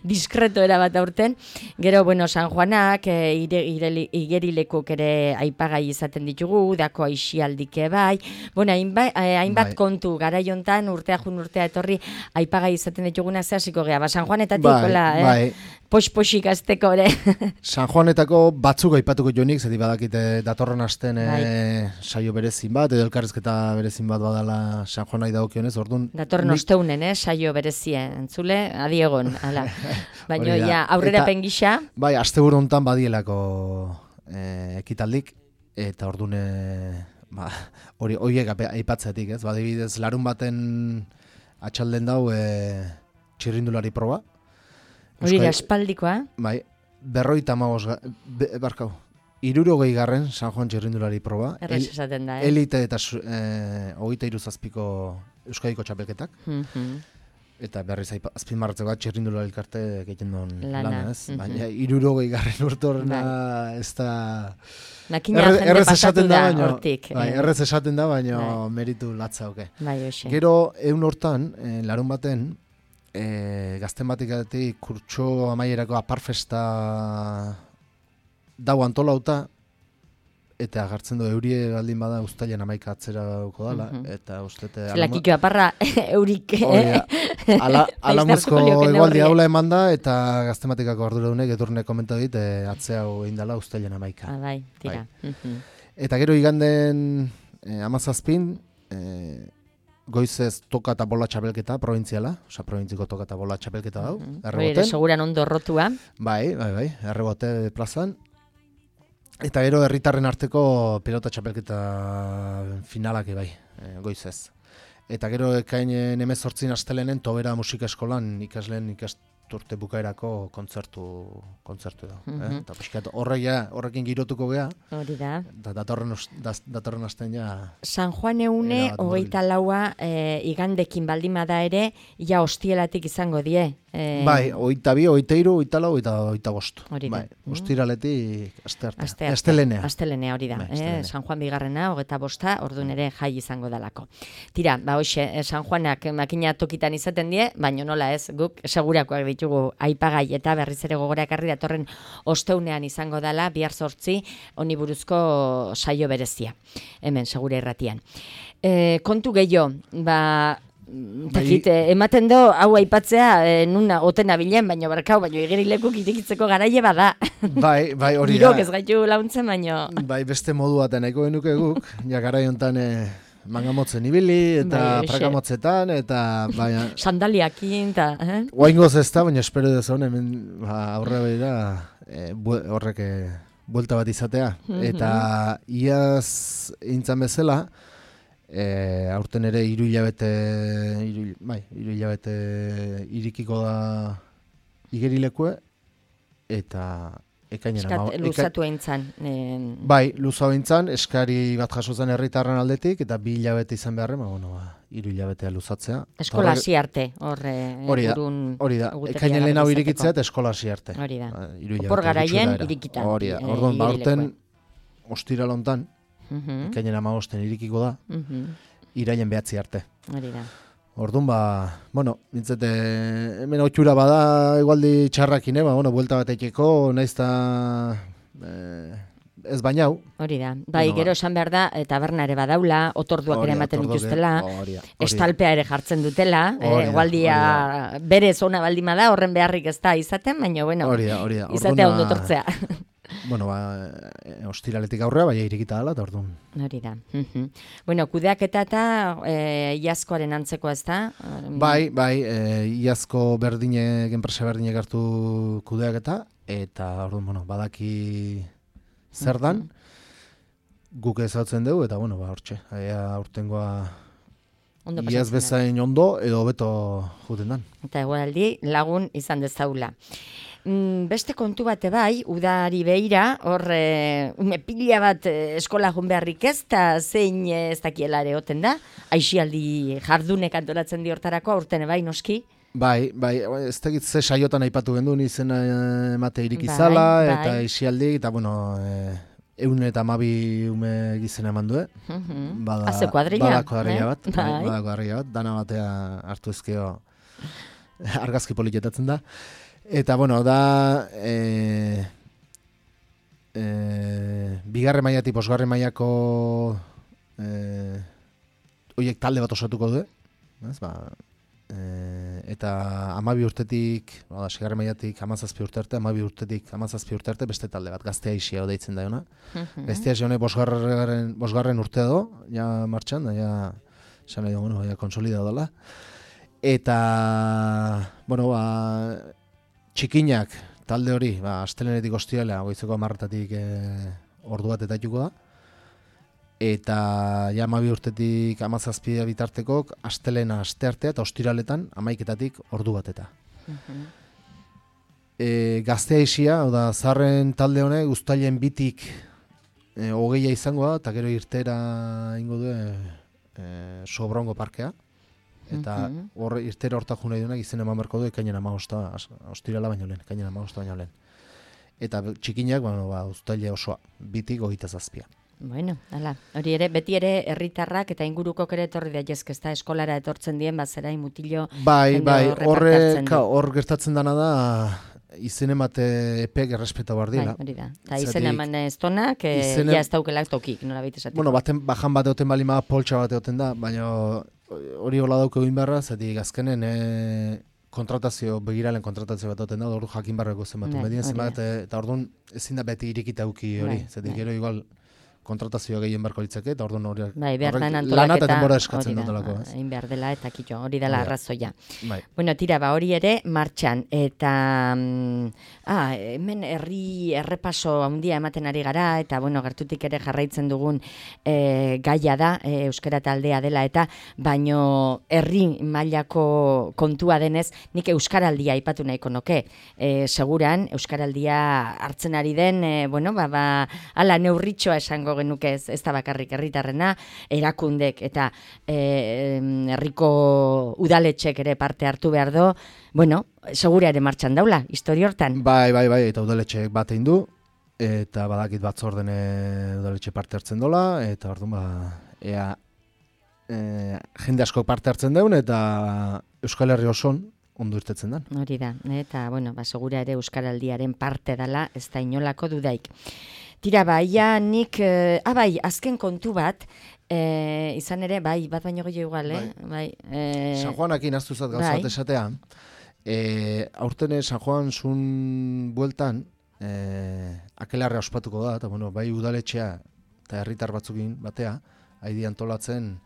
diskreto erabat aurten. Gero, bueno, San Juanak, eh, ire, ire, igerilekuk ere aipagai izaten ditugu, dako aixialdike bai. Bueno, hainbat, eh, hainbat bai. kontu, garai hontan urtea jun urtea etorri aipagai izaten dituguna ze hasiko gea. Ba, San Juanetatik, Bai, hola, eh? bai. Pos-posik azteko ere. San Juanetako batzuk aipatuko jonik, zeti badakite datorren asten e, Bai. saio berezin bat, edo elkarrizketa berezin bat badala San Juanai dagokionez, orduan... Datorren nik- osteunen, eh, saio berezien, entzule, adiegon, ala. Baina, Hori da. ja, aurrera Eta- pengisa, Bai, asteburu hontan badielako e, ekitaldik, eta orduan e, ba, hori horiek ape- aipatzetik, ez? Badibidez, larun baten atxalden dau e, txirrindulari proba. hori da Euskal- espaldikoa. Bai, berroita amabos, barkau, irurogei garren San Juan txirrindulari proba. Errez El- esaten da, eh? Elite eta su- e, hogeita hiru zazpiko Euskadiko txapelketak. Mhm. Eta berriz aipa- azpimarratzeko txirrindulari elkarte egiten duen Lana, lana, ez? mhm. Baina irurogei garren urtorna ez da... Nakina Erre- jende errez pasatu esaten da, baino, hortik. bai, eh. errez esaten da, baina Bai. meritu latza oke. Bai, hoxe. Gero, egun hortan, eh, larun baten, eh, gazten batikatik kurtso amaierako aparfesta dau antolauta, eta agartzen du eurie baldin bada uztailan amaika atzera dauko dala, Mhm. eta ustete... Zelakito aparra eurik. Hori da. Ala, alamuzko Laiztartuko lioke egualdi neurria. haula eman da, eta gaztematikako arduradunek edurne komenta dit, e, atzea hau egin dela uztailan amaika. Ah, bai, tira. Mhm. Eta gero iganden e, amazazpin, e, goizez toka eta bola txapelketa, provintziala, osea, provintziko toka eta bola txapelketa dau, Mhm. Hori ere, erreboten. seguran ondo rotua. Bai, bai, bai, errebote plazan. Eta gero herritarren arteko pilota txapelketa finalak bai, e, goizez. Eta gero ekainen hemezortzin astelenen Tobera musika eskolan ikasleen ikasturte bukaerako kontzertu kontzertu da. Mhm. eh? Eta pixkat horrek ja, horrekin girotuko gea, Hori da. da, datorren, os- daz- datorren asten ja... San Juan eune, Erabat hogeita laua, e, igandekin baldin bada ere, ja hostielatik izango die. E, Bai, hogeita bi, hogeita hiru, hogeita lau, hogeita hogeita bost. Hori da. Bai, Mm. ostiraletik aste arte. Aste arte. Astelenea. Astelenea hori da. Bai, eh? astelehena. San Juan bigarrena, hogeta bosta, orduan ere jai izango dalako. Tira, ba hoxe, eh, San Juanak makina tokitan izaten die, baino nola ez, guk segurakoak ditugu aipagai eta berriz ere gogora ekarri datorren osteunean izango dala, bihar zortzi, honi buruzko saio berezia. Hemen, segura irratian. E, kontu gehiago, ba, Takit, eh, ematen do, hau aipatzea, eh, nuna oten abilen, baino barkau, baino igerilekuk irikitzeko garaile bada. Bai, bai, hori da. Girok ez gaitu launtzen, baino... Bai, beste modu baten nahiko genuke guk, ja garai hontan eh, mangamotzen ibili, eta Bai, hoxe. prakamotzetan, eta baina... Sandaliakin, eta... Eh? Oaingoz ez da, baina espero dezon, hemen ba, aurre begira eh, bue- horrek eh, buelta bat izatea. Eta iaz intzan bezala, eh, aurten ere hiru hilabete, hiru, bai, hiru hilabete irikiko da igerilekue, eta ekainera... Eskat, ma- eka- luzatu eintzan. Eh, Bai, luzau intzan, eskari bat jaso zen herritarren aldetik, eta bi hilabete izan beharren, ba, bueno, ba, hiru hilabetea luzatzea. eskola Eta hasi arte, hor eh, Hori da, urun hori da, egutegia ekainen lehen hau garbi irikitzea izateko. eta eskola hasi arte. Hori da. Ba, hiru hilabete Opor garaien gutxi irikita, Hori da, eh, orduan, ba, aurten igerilekue. ostiral hontan, Mhm, ekainen amagosten irikiko da, mhm, iraien behatzi arte. Hori da. Orduan, ba, bueno, nintzete, hemen otxura bada, igualdi txarrakin, eh, ba, bueno, buelta bat ekeko, naiz eta eh, ez bainau. Hori da. Bai, Bueno, gero ba. esan behar da, taberna ere badaula, otorduak Hori ere da, ematen otorduak, dituztela, hori da, hori da. estalpea ere jartzen dutela, eh, Hori da, igualdia hori berez ona baldima da, horren beharrik ez da izaten, baina bueno, Hori da, hori da. izatea Orduan, ondo tortzea. Bueno, ba, e, ostiraletik aurrea, baina irikita dela, eta orduan. Hori da. Mhm. Bueno, kudeaketa eta eh, iazkoaren antzeko ez da? Bai, bai, e, iazko berdinek, enpresa berdinek hartu kudeaketa, eta orduan, bueno, badaki zer dan, guk ezautzen dugu, eta bueno, ba, hortxe, ea aurtengoa Ondo iaz pasatzen da. bezain ondo, edo hobeto juten dan. Eta egualdi lagun izan dezaula. Mm, beste kontu bate bai, udari beira, hor e, ume pila bat e, eskola jun beharrik ez, eta zein e, ez dakiela ere oten da, aixialdi jardunek antolatzen di hortarako, aurten bai noski. Bai, bai, ez tegit ze saiotan aipatu genduen izena eh, emate Bai, irikizala, bai. eta isialdi, eta bueno, e, eun eta amabi ume gizena eman du, Mhm. Bada, Haze kuadrilla, bada kuadrilla eh? bat, bai, Bai. bada kuadrilla bat, dana batea hartu ezkeo argazki politetatzen da. Eta, bueno, da, e, e, bigarren mailatik bosgarren mailako e, oiek talde bat osatuko du, ez, ba, e, eta hamabi urtetik, bada, segarren mailatik hamazazpi urte arte, hamabi urtetik hamazazpi urte arte beste talde bat, gaztea isia deitzen da jona. Mhm. Gaztea isia honek bosgarren, bosgarren urtea do, ja martxan, da, ja, esan nahi dugu, bueno, ja konsolidado dela. Eta, bueno, ba, txikinak talde hori, ba, astelenetik ostiralea, goizeko hamarretatik e, ordu bat etaituko da. Eta ja hamabi urtetik hamazazpi bitartekok astelena asteartea eta ostiraletan hamaiketatik ordu bat eta. Mhm. E, gaztea isia, hau da, zarren talde honek uztailen bitik e, hogeia izango da, eta gero irtera ingo du e, e, Sobrongo parkea. Eta Mhm. hor irtera hortak jo nahi duenak izen eman beharko du ekainan hamabosta, ostirala baino lehen, ekainan hamabosta baino lehen. Eta txikinak, bueno, ba, uztaile osoa, bitik hogeita zazpia. Bueno, hala, hori ere, beti ere herritarrak eta ingurukok ere etorri daitezke, ezta eskolara etortzen dien, bazera mutilo Bai, jende bai, horre horre, parte hartzen du. ka, hor gertatzen dana da, izen emate epek errespeta behar Bai, dira. hori da. Eta Zergatik izen eman ez tonak, e, izena- ja ez daukelak tokik, nola baita esateko. Bueno, baten, bajan bat egoten balima poltsa bat egoten da, baina hori hola dauke egin beharra, zetik azkenen e, kontratazio, begiralen kontratazio bat egoten da, ordu jakin barreko zenbatu. Bai, Medien hori zenbat, da. e, eta orduan ezin da beti irikita uki hori, Bai, zetik bai. gero igual kontratazioa gehien beharko litzake, eta orduan hori Bai, behar horrek den lana antolaketa, eta denbora eskatzen hori da, dutelako, ez? egin behar dela eta kitxo, hori dela Hori da. arrazoia. Bai. Bueno, tira, ba, hori ere martxan, eta mm, ah, hemen herri errepaso handia ematen ari gara, eta bueno, gertutik ere jarraitzen dugun e, gaia da, e, euskara taldea dela, eta baino herri mailako kontua denez, nik euskaraldia aipatu nahiko nuke. E, seguran, euskaraldia hartzen ari den, e, bueno, ba, ba, ala neurritxoa esango genuke ez, ez da bakarrik herritarrena, erakundek eta e, herriko udaletxek ere parte hartu behar do, bueno, segura ere martxan daula, historia hortan. Bai, bai, bai, eta udaletxeek bat egin du, eta badakit batzordene udaletxe parte hartzen dola, eta orduan ba, ea e, jende asko parte hartzen deun, eta Euskal Herri oson ondo irtetzen den. Hori da, eta bueno, ba, segura ere euskaraldiaren parte dela, ez da inolako dudaik. Tira, bai, ja, nik, eh, ah, bai, azken kontu bat, eh, izan ere, bai, bat baino gehiago igual, eh? Bai. eh, San Juanakin aztu zat gauza bai. bat esatea. E, aurten San Juan zun bueltan, e, akelarre ospatuko da, eta bueno, bai udaletxea eta herritar batzukin batea, haidi antolatzen,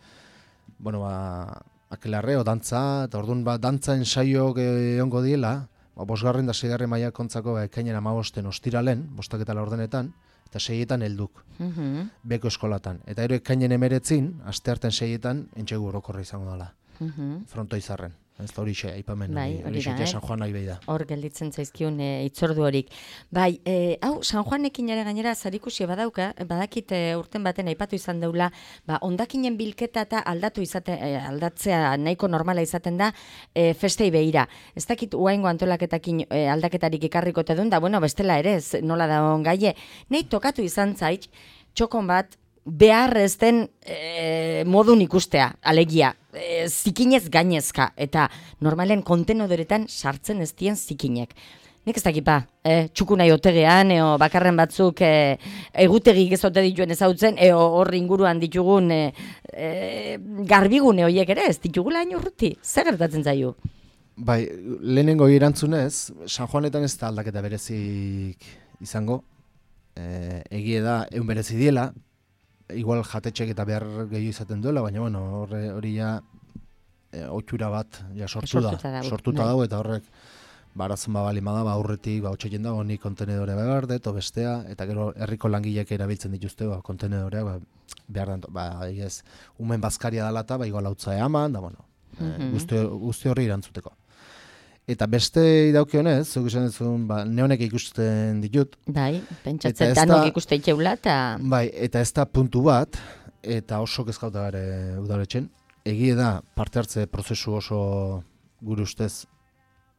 bueno, ba, akelarre o dantza, eta orduan ba, dantza ensaiok egongo diela, ba, bosgarren da seigarren mailakontzako ba, ekainen amabosten ostiralen, bostak eta laurdenetan, eta seietan helduk, Mhm, beko eskolatan. Eta ero ekainen emeretzin, astearten seietan, entxegu orokorra izango dela, mhm. fronto izarren. Ez da hori xe, aipamen, Bai, hori, hori hori da, xe, eh? San Juan nahi behi da. Hor gelditzen zaizkiun e, itzordu horik. Bai, e, hau, San Juanekin ere gainera zarikusi badauka, badakit e, urten baten aipatu izan deula, ba, ondakinen bilketa eta aldatu izate, e, aldatzea nahiko normala izaten da e, festei behira. Ez dakit uaingo antolaketakin e, aldaketarik ikarriko te duen, da, bueno, bestela ere, ez, nola da on gaie. Nei tokatu izan zait, txokon bat, behar ez den e, modun ikustea, alegia, e, zikinez gainezka, eta normalen kontenodoretan sartzen ez dien zikinek. Nik ez dakipa, e, txuku nahi otegean, eo bakarren batzuk e, egutegik ez ote dituen ezautzen, eo horri inguruan ditugun e, e, garbigune horiek ere, ez ditugula hain urruti, zer gertatzen zaio? Bai, lehenengo erantzunez, San Juanetan ez da aldaketa berezik izango, e, egie da, egun berezi diela, igual jatetxek eta behar gehiago izaten duela, baina bueno, horre, hori ja e, otxura bat ja sortu Sortuta da, dago, sortuta bai. dago, eta horrek barazun babali da, ba, aurretik, ba, otxeien dago, ni kontenedore behar dut, o bestea, eta gero herriko langileek erabiltzen dituzte, ba, kontenedoreak, ba, behar da, ba, ez, umen bazkaria dalata, ba, igual hautza eaman, da, bueno, Mhm. e, guzti, guzti horri erantzuteko. Eta beste idauki zuk esan duzun, ba, neonek ikusten ditut, Bai, Eta pentsatzen ez tanok da- ikuste itxeula, eta... bai, eta ez da puntu bat, eta oso kezkauta gare udaletxen. Egie da, parte hartze prozesu oso gure ustez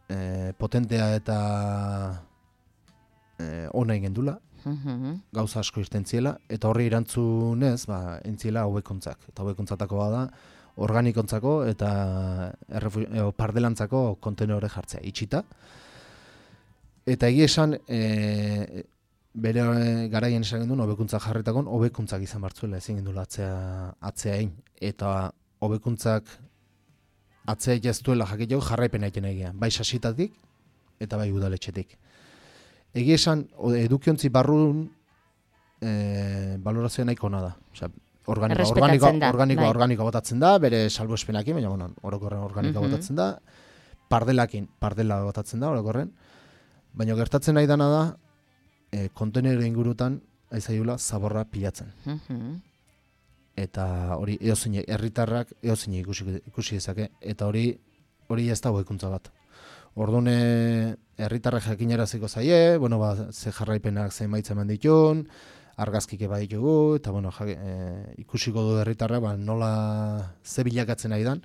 e, potentea eta e, ona gendula, Mhm. gauza asko irten ziela, eta horri erantzunez, ba, entziela hobekuntzak. Eta hobekuntzatako bada, organikontzako eta errefu- e, pardelantzako kontenore jartzea, itxita. Eta egia esan, e, bere e, garaien esan genduen, hobekuntza jarritakon, hobekuntzak izan bartzuela ezin gendula atzea, atzea egin. Eta hobekuntzak atzea jaztuela jakiteko jarraipena egiten egia. Bai sasitatik eta bai udaletxetik. Egia esan, o- edukiontzi barrun e, balorazioa nahiko ona da. Osea, organikoa, Errespetatzen organikoa, da, organikoa, bai. organikoa botatzen da, bere salbuespenakin, baina bueno, orokorren organikoa Mhm. botatzen da, pardelakin, pardela botatzen da, orokorren, baina gertatzen nahi dana da, e, kontenero ingurutan, aizaiula, zaborra pilatzen. Mhm. Eta hori, eozine, herritarrak eozine ikusi, ikusi dezake, eta hori, hori ez da hobekuntza bat. Orduan, e, herritarrak jakinaraziko zaie, bueno, ba, ze jarraipenak ze emaitza eman ditun, argazkike baditugu, eta bueno, ja, e, ikusiko du herritarra, ba, nola ze bilakatzen nahi dan,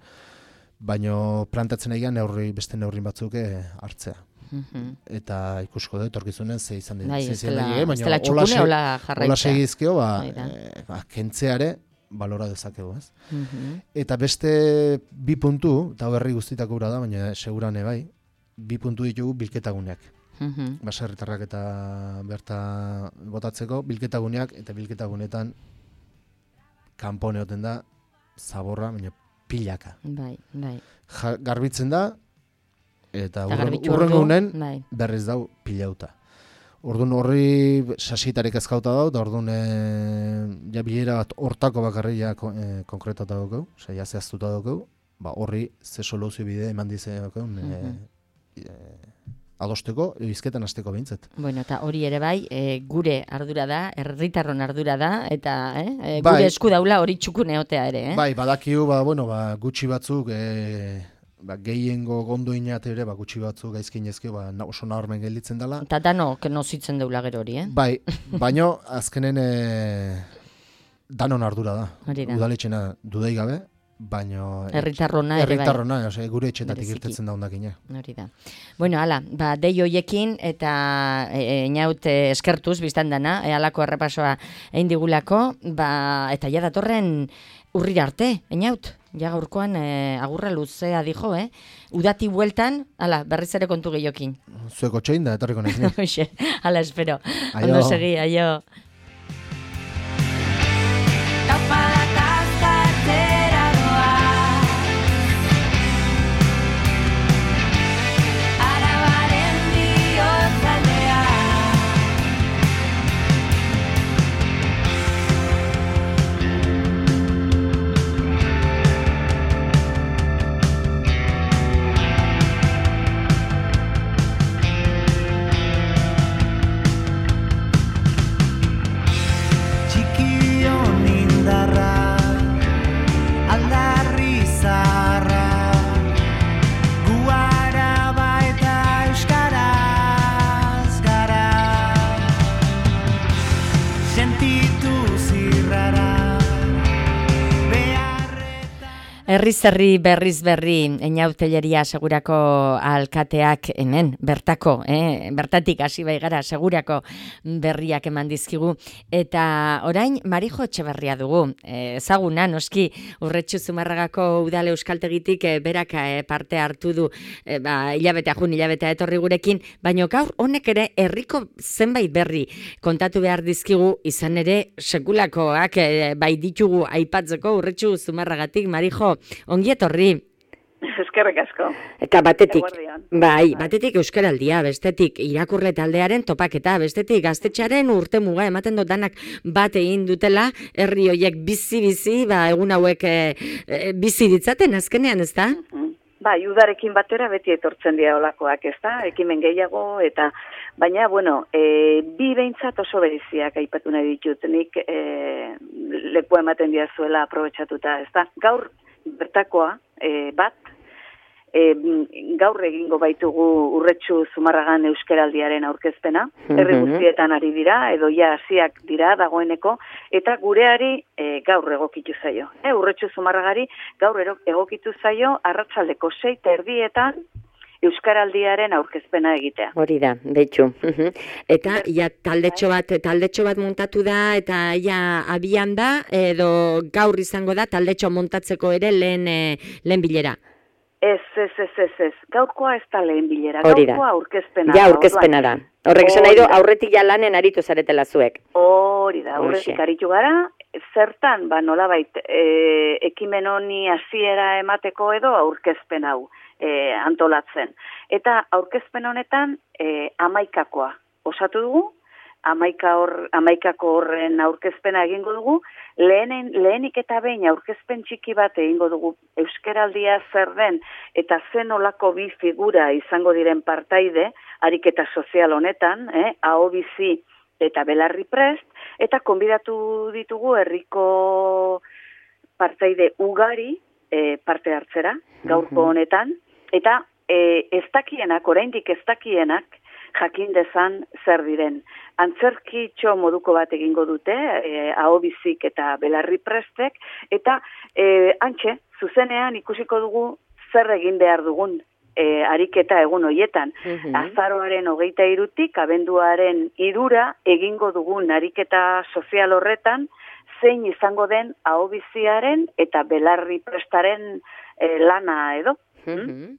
baino plantatzen nahi neurri, beste neurri batzuk e, hartzea. Mhm. Eta ikusiko du etorkizunen ze izan dira. Bai, ze ez izan dela, daile, ez dela hola txukune, se- hola hola jarraitzea. segizkio, ba, Hori da. e, ba, kentzeare balora dezakegu, ez? Mhm. Eta beste bi puntu, eta berri guztitako ura da, baina segurane bai, bi puntu ditugu bilketaguneak. Mhm. Baserritarrak eta berta botatzeko bilketaguneak, eta bilketagunetan kanpone oten da zaborra, baina pilaka. Bai, bai. Ja, garbitzen da, eta Eta garbitu urrengo ordu, unen bai. berriz dau pilauta. Orduan horri sasitarek ezkauta dau, eta orduan e, ja bilera bat hortako bakarri ja ko- e, konkretata daukau, osea, ja zehaztuta daukau, ba horri ze soluzio bide eman dize daukau, Mhm. e, e, adosteko, edo hizketan hasteko behintzat. Bueno, eta hori ere bai, e, gure ardura da, herritarron ardura da, eta eh, e, Bai. gure esku daula hori txukune otea ere, eh? Bai, badakigu, ba, bueno, ba, gutxi batzuk, e, ba, gehiengo gondoinat ere, ba, gutxi batzuk gaizkinezkio, ba, na- oso nabarmen gelditzen dela. Eta danok nozitzen deula gero hori, eh? Bai, baino azkenen e, danon ardura da. Hori da. Udaletxena dudei gabe, baino Herritarrona ere bai. herritarrona, osea, gure etxetatik Bereziki. irtetzen da hondakina. Hori da. Bueno, hala, ba, dei hoiekin eta e, inaut e, eskertuz biztan dana, e, halako errepasoa egin digulako, ba, eta ja datorren urrira arte, inaut, ja gaurkoan e, agurra luzea dijo, eh? Udati bueltan, hala, berriz ere kontu gehiokin. Zueko txein da, etorriko naiz ni. Hoxe, hala espero. Aio. Ondo segi, aio. sentitu zirrara. Herriz herri berriz berri, Einauteleria segurako alkateak hemen, bertako, eh? bertatik hasi bai gara, segurako berriak eman dizkigu. Eta orain, Marijo Etxeberria dugu, eh, ezaguna, noski, Urretxu Zumarragako udale euskaltegitik eh, berak eh, parte hartu du, eh, ba, hilabetea jun, hilabetea etorri gurekin, baina gaur honek ere herriko zenbait berri kontatu behar dizkigu, izan ere sekulakoak eh, bai ditugu aipatzeko Urretxu Zumarragatik, Marijo, ongi etorri. Eskerrik asko. Eta batetik, Eguerdian. bai, batetik euskaraldia, bestetik irakurle taldearen topaketa, bestetik gaztetxearen urte muga ematen dut danak bat egin dutela, herri hoiek bizi-bizi, ba, egun hauek e, e, bizi ditzaten azkenean, ez da? Bai, udarekin batera beti etortzen dira olakoak, ez da? Ekimen gehiago, eta baina, bueno, e, bi behintzat oso bereziak aipatu nahi ditut, nik e, leku ematen diazuela aprobetxatuta, ez da? Gaur bertakoa, e, bat, e, gaur egingo baitugu Urretxu Zumarragan euskaraldiaren aurkezpena, herri guztietan ari dira, edo ja hasiak dira dagoeneko, eta gureari e, gaur egokitu zaio. E, Urretxu Zumarragari gaur egokitu zaio arratsaldeko sei eta erdietan euskaraldiaren aurkezpena egitea. Hori da, betxu. Eta ja taldetxo bat, taldetxo bat montatu da, eta ja abian da, edo gaur izango da taldetxo montatzeko ere lehen, e, lehen bilera. Ez, ez, ez, ez, ez. Gaurkoa ez da lehen bilera. Hori da. Gaurkoa aurkezpena. Ja aurkezpena da. Horrek esan nahi du, aurretik ja lanen aritu zaretela zuek. Hori da, aurretik aritu gara, zertan, ba nolabait, e, ekimen honi hasiera emateko edo aurkezpen hau e, antolatzen. Eta aurkezpen honetan e, amaikakoa osatu dugu, amaika hor, amaikako horren aurkezpena egingo dugu, lehenen, lehenik eta behin aurkezpen txiki bat egingo dugu euskaraldia zer den, eta zen olako bi figura izango diren partaide, ariketa sozial honetan, eh, aho bizi eta belarri prest, eta konbidatu ditugu herriko partaide ugari e, parte hartzera, gaurko honetan, eta e, ez dakienak, oraindik ez dakienak, jakin dezan zer diren. Antzerkitxo moduko bat egingo dute, e, aho bizik eta belarri prestek, eta e, antxe, zuzenean ikusiko dugu zer egin behar dugun e, ariketa egun hoietan. Mhm. Azaroaren hogeita irutik, abenduaren irura egingo dugun ariketa sozial horretan, zein izango den aho biziaren eta belarri prestaren e, lana edo. Mhm.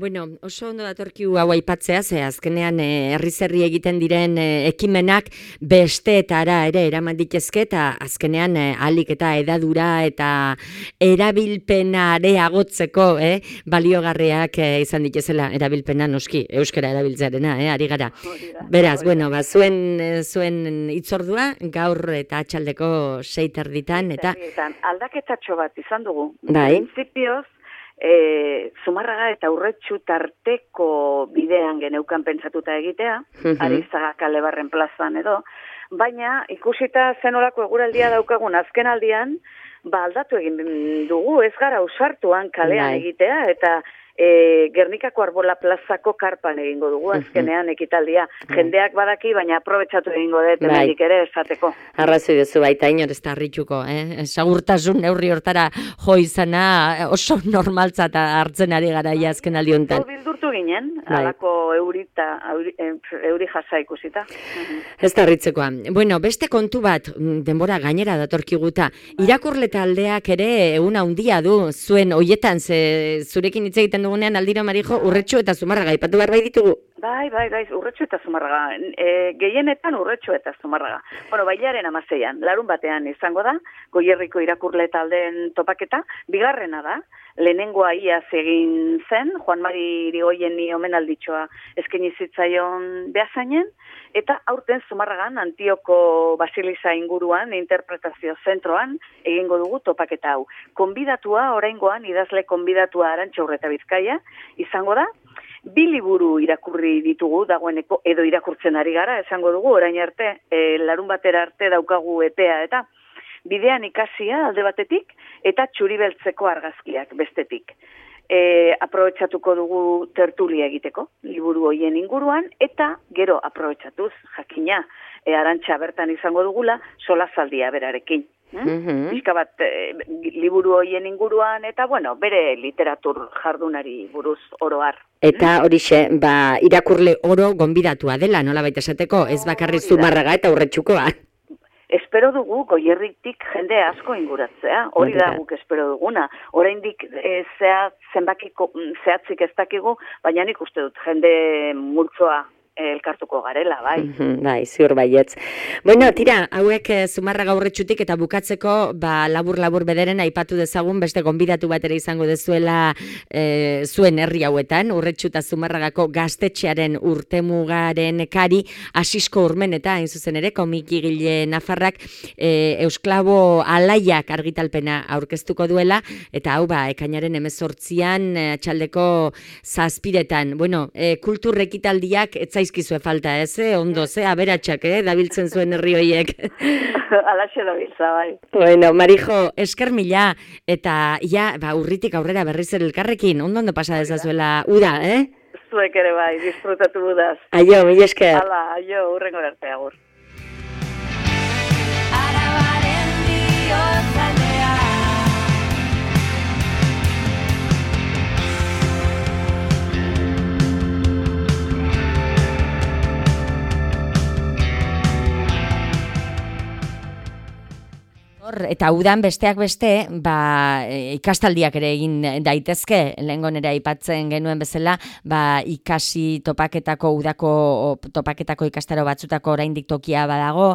Bueno, oso ondo datorkigu hau aipatzea, ze azkenean eh, herri-zerri egiten diren eh, ekimenak besteetara ere eraman ditezke, eta azkenean eh, ahalik eta edadura eta erabilpena areagotzeko eh, baliogarriak eh, izan ditezela, erabilpena noski, euskara erabiltzearena, eh, ari gara. Beraz, bueno, ba, zuen, eh, zuen itzordua gaur eta atxaldeko sei terditan, eta aldaketatxo bat izan dugu. Bai. Printzipioz, E, Zumarraga eta Urretxu tarteko bidean geneukan pentsatuta egitea, Mhm. Arizaga Kalebarren plazan edo, baina ikusita zenolako eguraldia daukagun azken aldian, ba aldatu egin dugu, ez gara ausartuan kalean Bai. egitea, eta e, Gernikako Arbola plazako karpan egingo dugu azkenean ekitaldia. Jendeak badaki, baina aprobetxatu egingo dut, Bai. hemendik ere esateko. Arrazoi duzu baita inor ez da harrituko, eh? Segurtasun neurri hortara jo izana oso normaltzat hartzen ari gara ja azken aldi honetan. Hau bildurtu ginen, Bai. alako eurita, euri, euri jasa ikusita. Ez da harritzekoa. Bueno, beste kontu bat, denbora gainera datorkiguta, irakurle taldeak ere egun handia du zuen hoietan, ze zurekin hitz egiten dugunean aldiro Marijo, Urretxu eta Zumarraga aipatu behar bai ditugu. Bai, bai, bai, Urretxu eta Zumarraga. E, gehienetan Urretxu eta Zumarraga. Bueno, bailaren amaseian, larun batean izango da, Goierriko irakurle taldeen topaketa, bigarrena da, lehenengoa iaz egin zen, Juan Mari Irigoyeni omenalditxoa eskaini zitzaion Beasainen, eta aurten Zumarragan Antioko Basiliza inguruan, interpretazio zentroan, egingo dugu topaketa hau. Konbidatua, oraingoan, idazle konbidatua Arantxa Urreta Bizkaia, izango da, bi liburu irakurri ditugu dagoeneko, edo irakurtzen ari gara, esango dugu, orain arte, e, larun batera arte daukagu epea, eta bidean ikasia alde batetik, eta txuribeltzeko argazkiak bestetik. e, aprobetxatuko dugu tertulia egiteko, liburu hoien inguruan, eta gero aprobetxatuz, jakina, e, Arantxa bertan izango dugula, solazaldia berarekin. Hmm? Mhm. Pixka bat e, liburu hoien inguruan, eta bueno, bere literatur jardunari buruz oroar. Eta horixe, ba, irakurle oro gonbidatua dela, nola baita esateko, ez bakarri Hori da. Zumarraga eta Urretxukoa. Espero dugu Goierritik jende asko inguratzea, hori Hori da da. guk espero duguna. Oraindik e, zehat, zenbakiko, zehatzik ez dakigu, baina nik uste dut jende multzoa elkartuko garela, bai. Mhm, bai, ziur baietz. Bueno, tira, hauek eh, Zumarraga Urretxutik eta bukatzeko, ba, labur-labur bederen aipatu dezagun, beste gonbidatu bat ere izango dezuela eh, zuen herri hauetan, Urretxu eta Zumarragako gaztetxearen urtemugaren kari, Asisko Urmeneta, hain zuzen ere, komikigile nafarrak, eh, Eusklabo Alaiak argitalpena aurkeztuko duela, eta hau ba, ekainaren hemezortzian, eh, txaldeko zazpiretan. Bueno, eh, kultur ekitaldiak etzaizkizue falta, ez, eh? Ondo, ze, aberatsak, eh? Dabiltzen zuen herri hoiek. Alaxe da biltza, bai. Bueno, Marijo, esker mila, eta ja, ba, urritik aurrera berriz ere elkarrekin, ondo ondo pasa dezazuela uda, eh? Zuek ere bai, disfrutatu budaz. Aio, mila esker. Hala, aio, urrengo arte agur. Arabaren bihotzaldea. Eta udan besteak beste, ba, e, ikastaldiak ere egin daitezke, lehengo nera aipatzen genuen bezala, ba, ikasi topaketako, udako topaketako ikastaro batzutako oraindik tokia badago,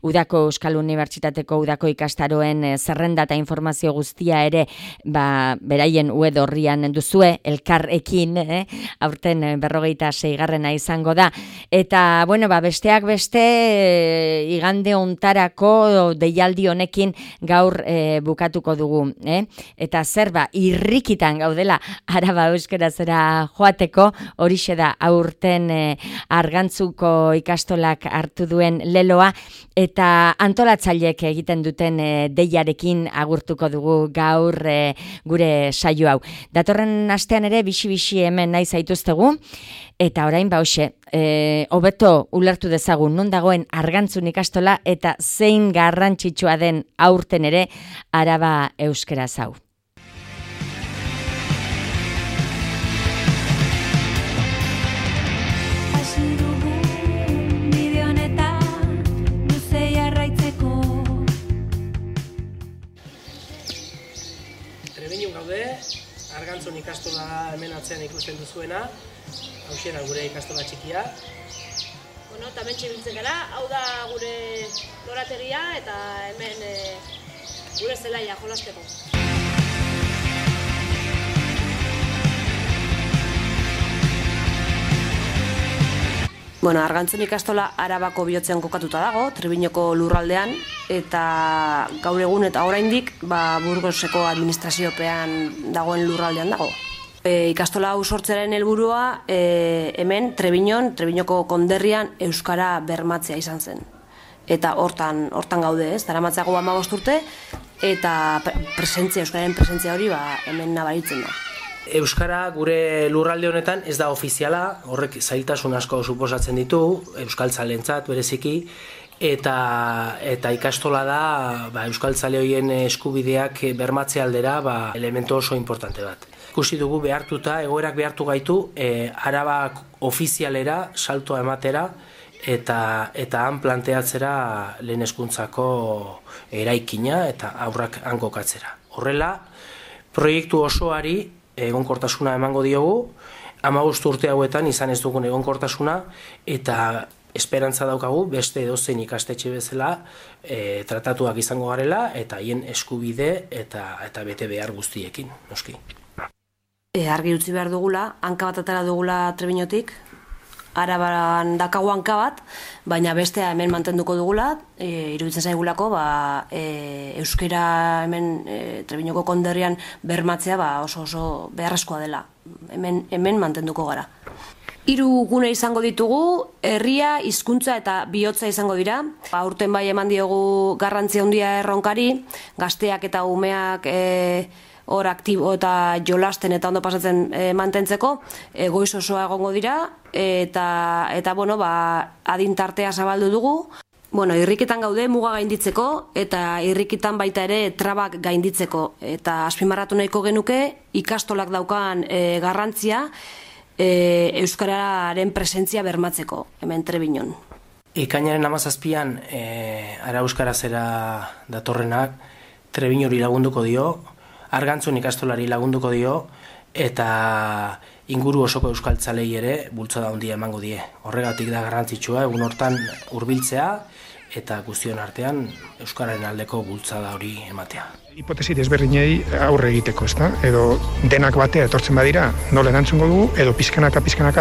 udako Euskal Unibertsitateko udako ikastaroen e, zerrenda eta informazio guztia ere, ba, beraien web orrian duzue, elkarrekin, eh? Aurten e, berrogeita seigarrena izango da. Eta, bueno, ba, besteak beste, e, igande ontarako deialdi honekin gaur e, bukatuko dugu, eh? Eta zer ba, irrikitan gaudela Araba euskerazera joateko, horixe da aurten e, Argantzuko ikastolak hartu duen leloa, eta antolatzaileek egiten duten e, deiarekin agurtuko dugu gaur e, gure saio hau. Datorren astean ere bixi-bixi hemen nahi zaituztegu, eta orain ba hoxe, e, hobeto ulertu dezagun non dagoen Argantzun ikastola eta zein garrantzitsua den aurten ere Araba euskeraz hau. Hasi dugu bide honetan luze jarraitzeko. Trebiñun gaude, Argantzun ikastola hemen atzean ikusten duzuena, hauxe da gure ikastola txikia. Bueno, eta hemen txibiltzen gara, hau da gure lorategia eta hemen e, gure zelaia jolasteko. Bueno, Argantzun ikastola Arabako bihotzean kokatuta dago, Trebiñoko lurraldean, eta gaur egun eta oraindik ba, Burgoseko administraziopean dagoen lurraldean dago. E, ikastola hau sortzearen helburua e, hemen Trebiñon, Trebiñoko konderrian euskara bermatzea izan zen. Eta hortan hortan gaude, ez? Daramatzago hamabost urte eta presentzia, euskararen presentzia hori ba, hemen nabaritzen da. Euskara gure lurralde honetan ez da ofiziala, horrek zailtasun asko suposatzen ditu, euskaltzalentzat bereziki, eta eta ikastola da ba, euskaltzale horien eskubideak bermatze aldera ba, elemento oso importante bat. Ikusi dugu behartuta, egoerak behartu gaitu, e, Araba ofizialera saltoa ematera, eta eta han planteatzera lehen hezkuntzako eraikina eta aurrak han kokatzera. Horrela, proiektu osoari egonkortasuna emango diogu, hamabost urte hauetan izan ez dugun egonkortasuna, eta esperantza daukagu beste edozein ikastetxe bezala e, tratatuak izango garela, eta haien eskubide eta eta bete behar guztiekin, noski. E, argi utzi behar dugula, hanka bat atera dugula Trebiñotik, Araban dakago hanka bat, baina bestea hemen mantenduko dugula, e, iruditzen zaigulako, ba, e, euskera hemen e, Trebiñoko konderrian bermatzea ba, oso oso beharrezkoa dela. Hemen, hemen mantenduko gara. Hiru gune izango ditugu, herria, hizkuntza eta bihotza izango dira. Aurten bai eman diogu garrantzia handia erronkari, gazteak eta umeak e, hor aktibo eta jolasten eta ondo pasatzen e, mantentzeko, e, goiz osoa egongo dira, eta, eta bueno, ba, adintartea zabaldu dugu. Bueno, irrikitan gaude muga gainditzeko, eta irrikitan baita ere trabak gainditzeko. Eta azpimarratu nahiko genuke, ikastolak daukan e, garrantzia, e, euskararen presentzia bermatzeko, hemen Trebiñon. Ekainaren hamazazpian e, ara euskarazera datorrenak Trebiñori lagunduko dio, Argantzun ikastolari lagunduko dio, eta inguru osoko euskaltzalei ere bultzada handia emango die. Horregatik da garrantzitsua egun hortan hurbiltzea eta guztion artean euskararen aldeko bultzada hori ematea. Hipotesi desberdinei aurre egiteko, ezta? Edo denak batea etortzen badira, nola erantzungo dugu, edo pizkanaka pizkanaka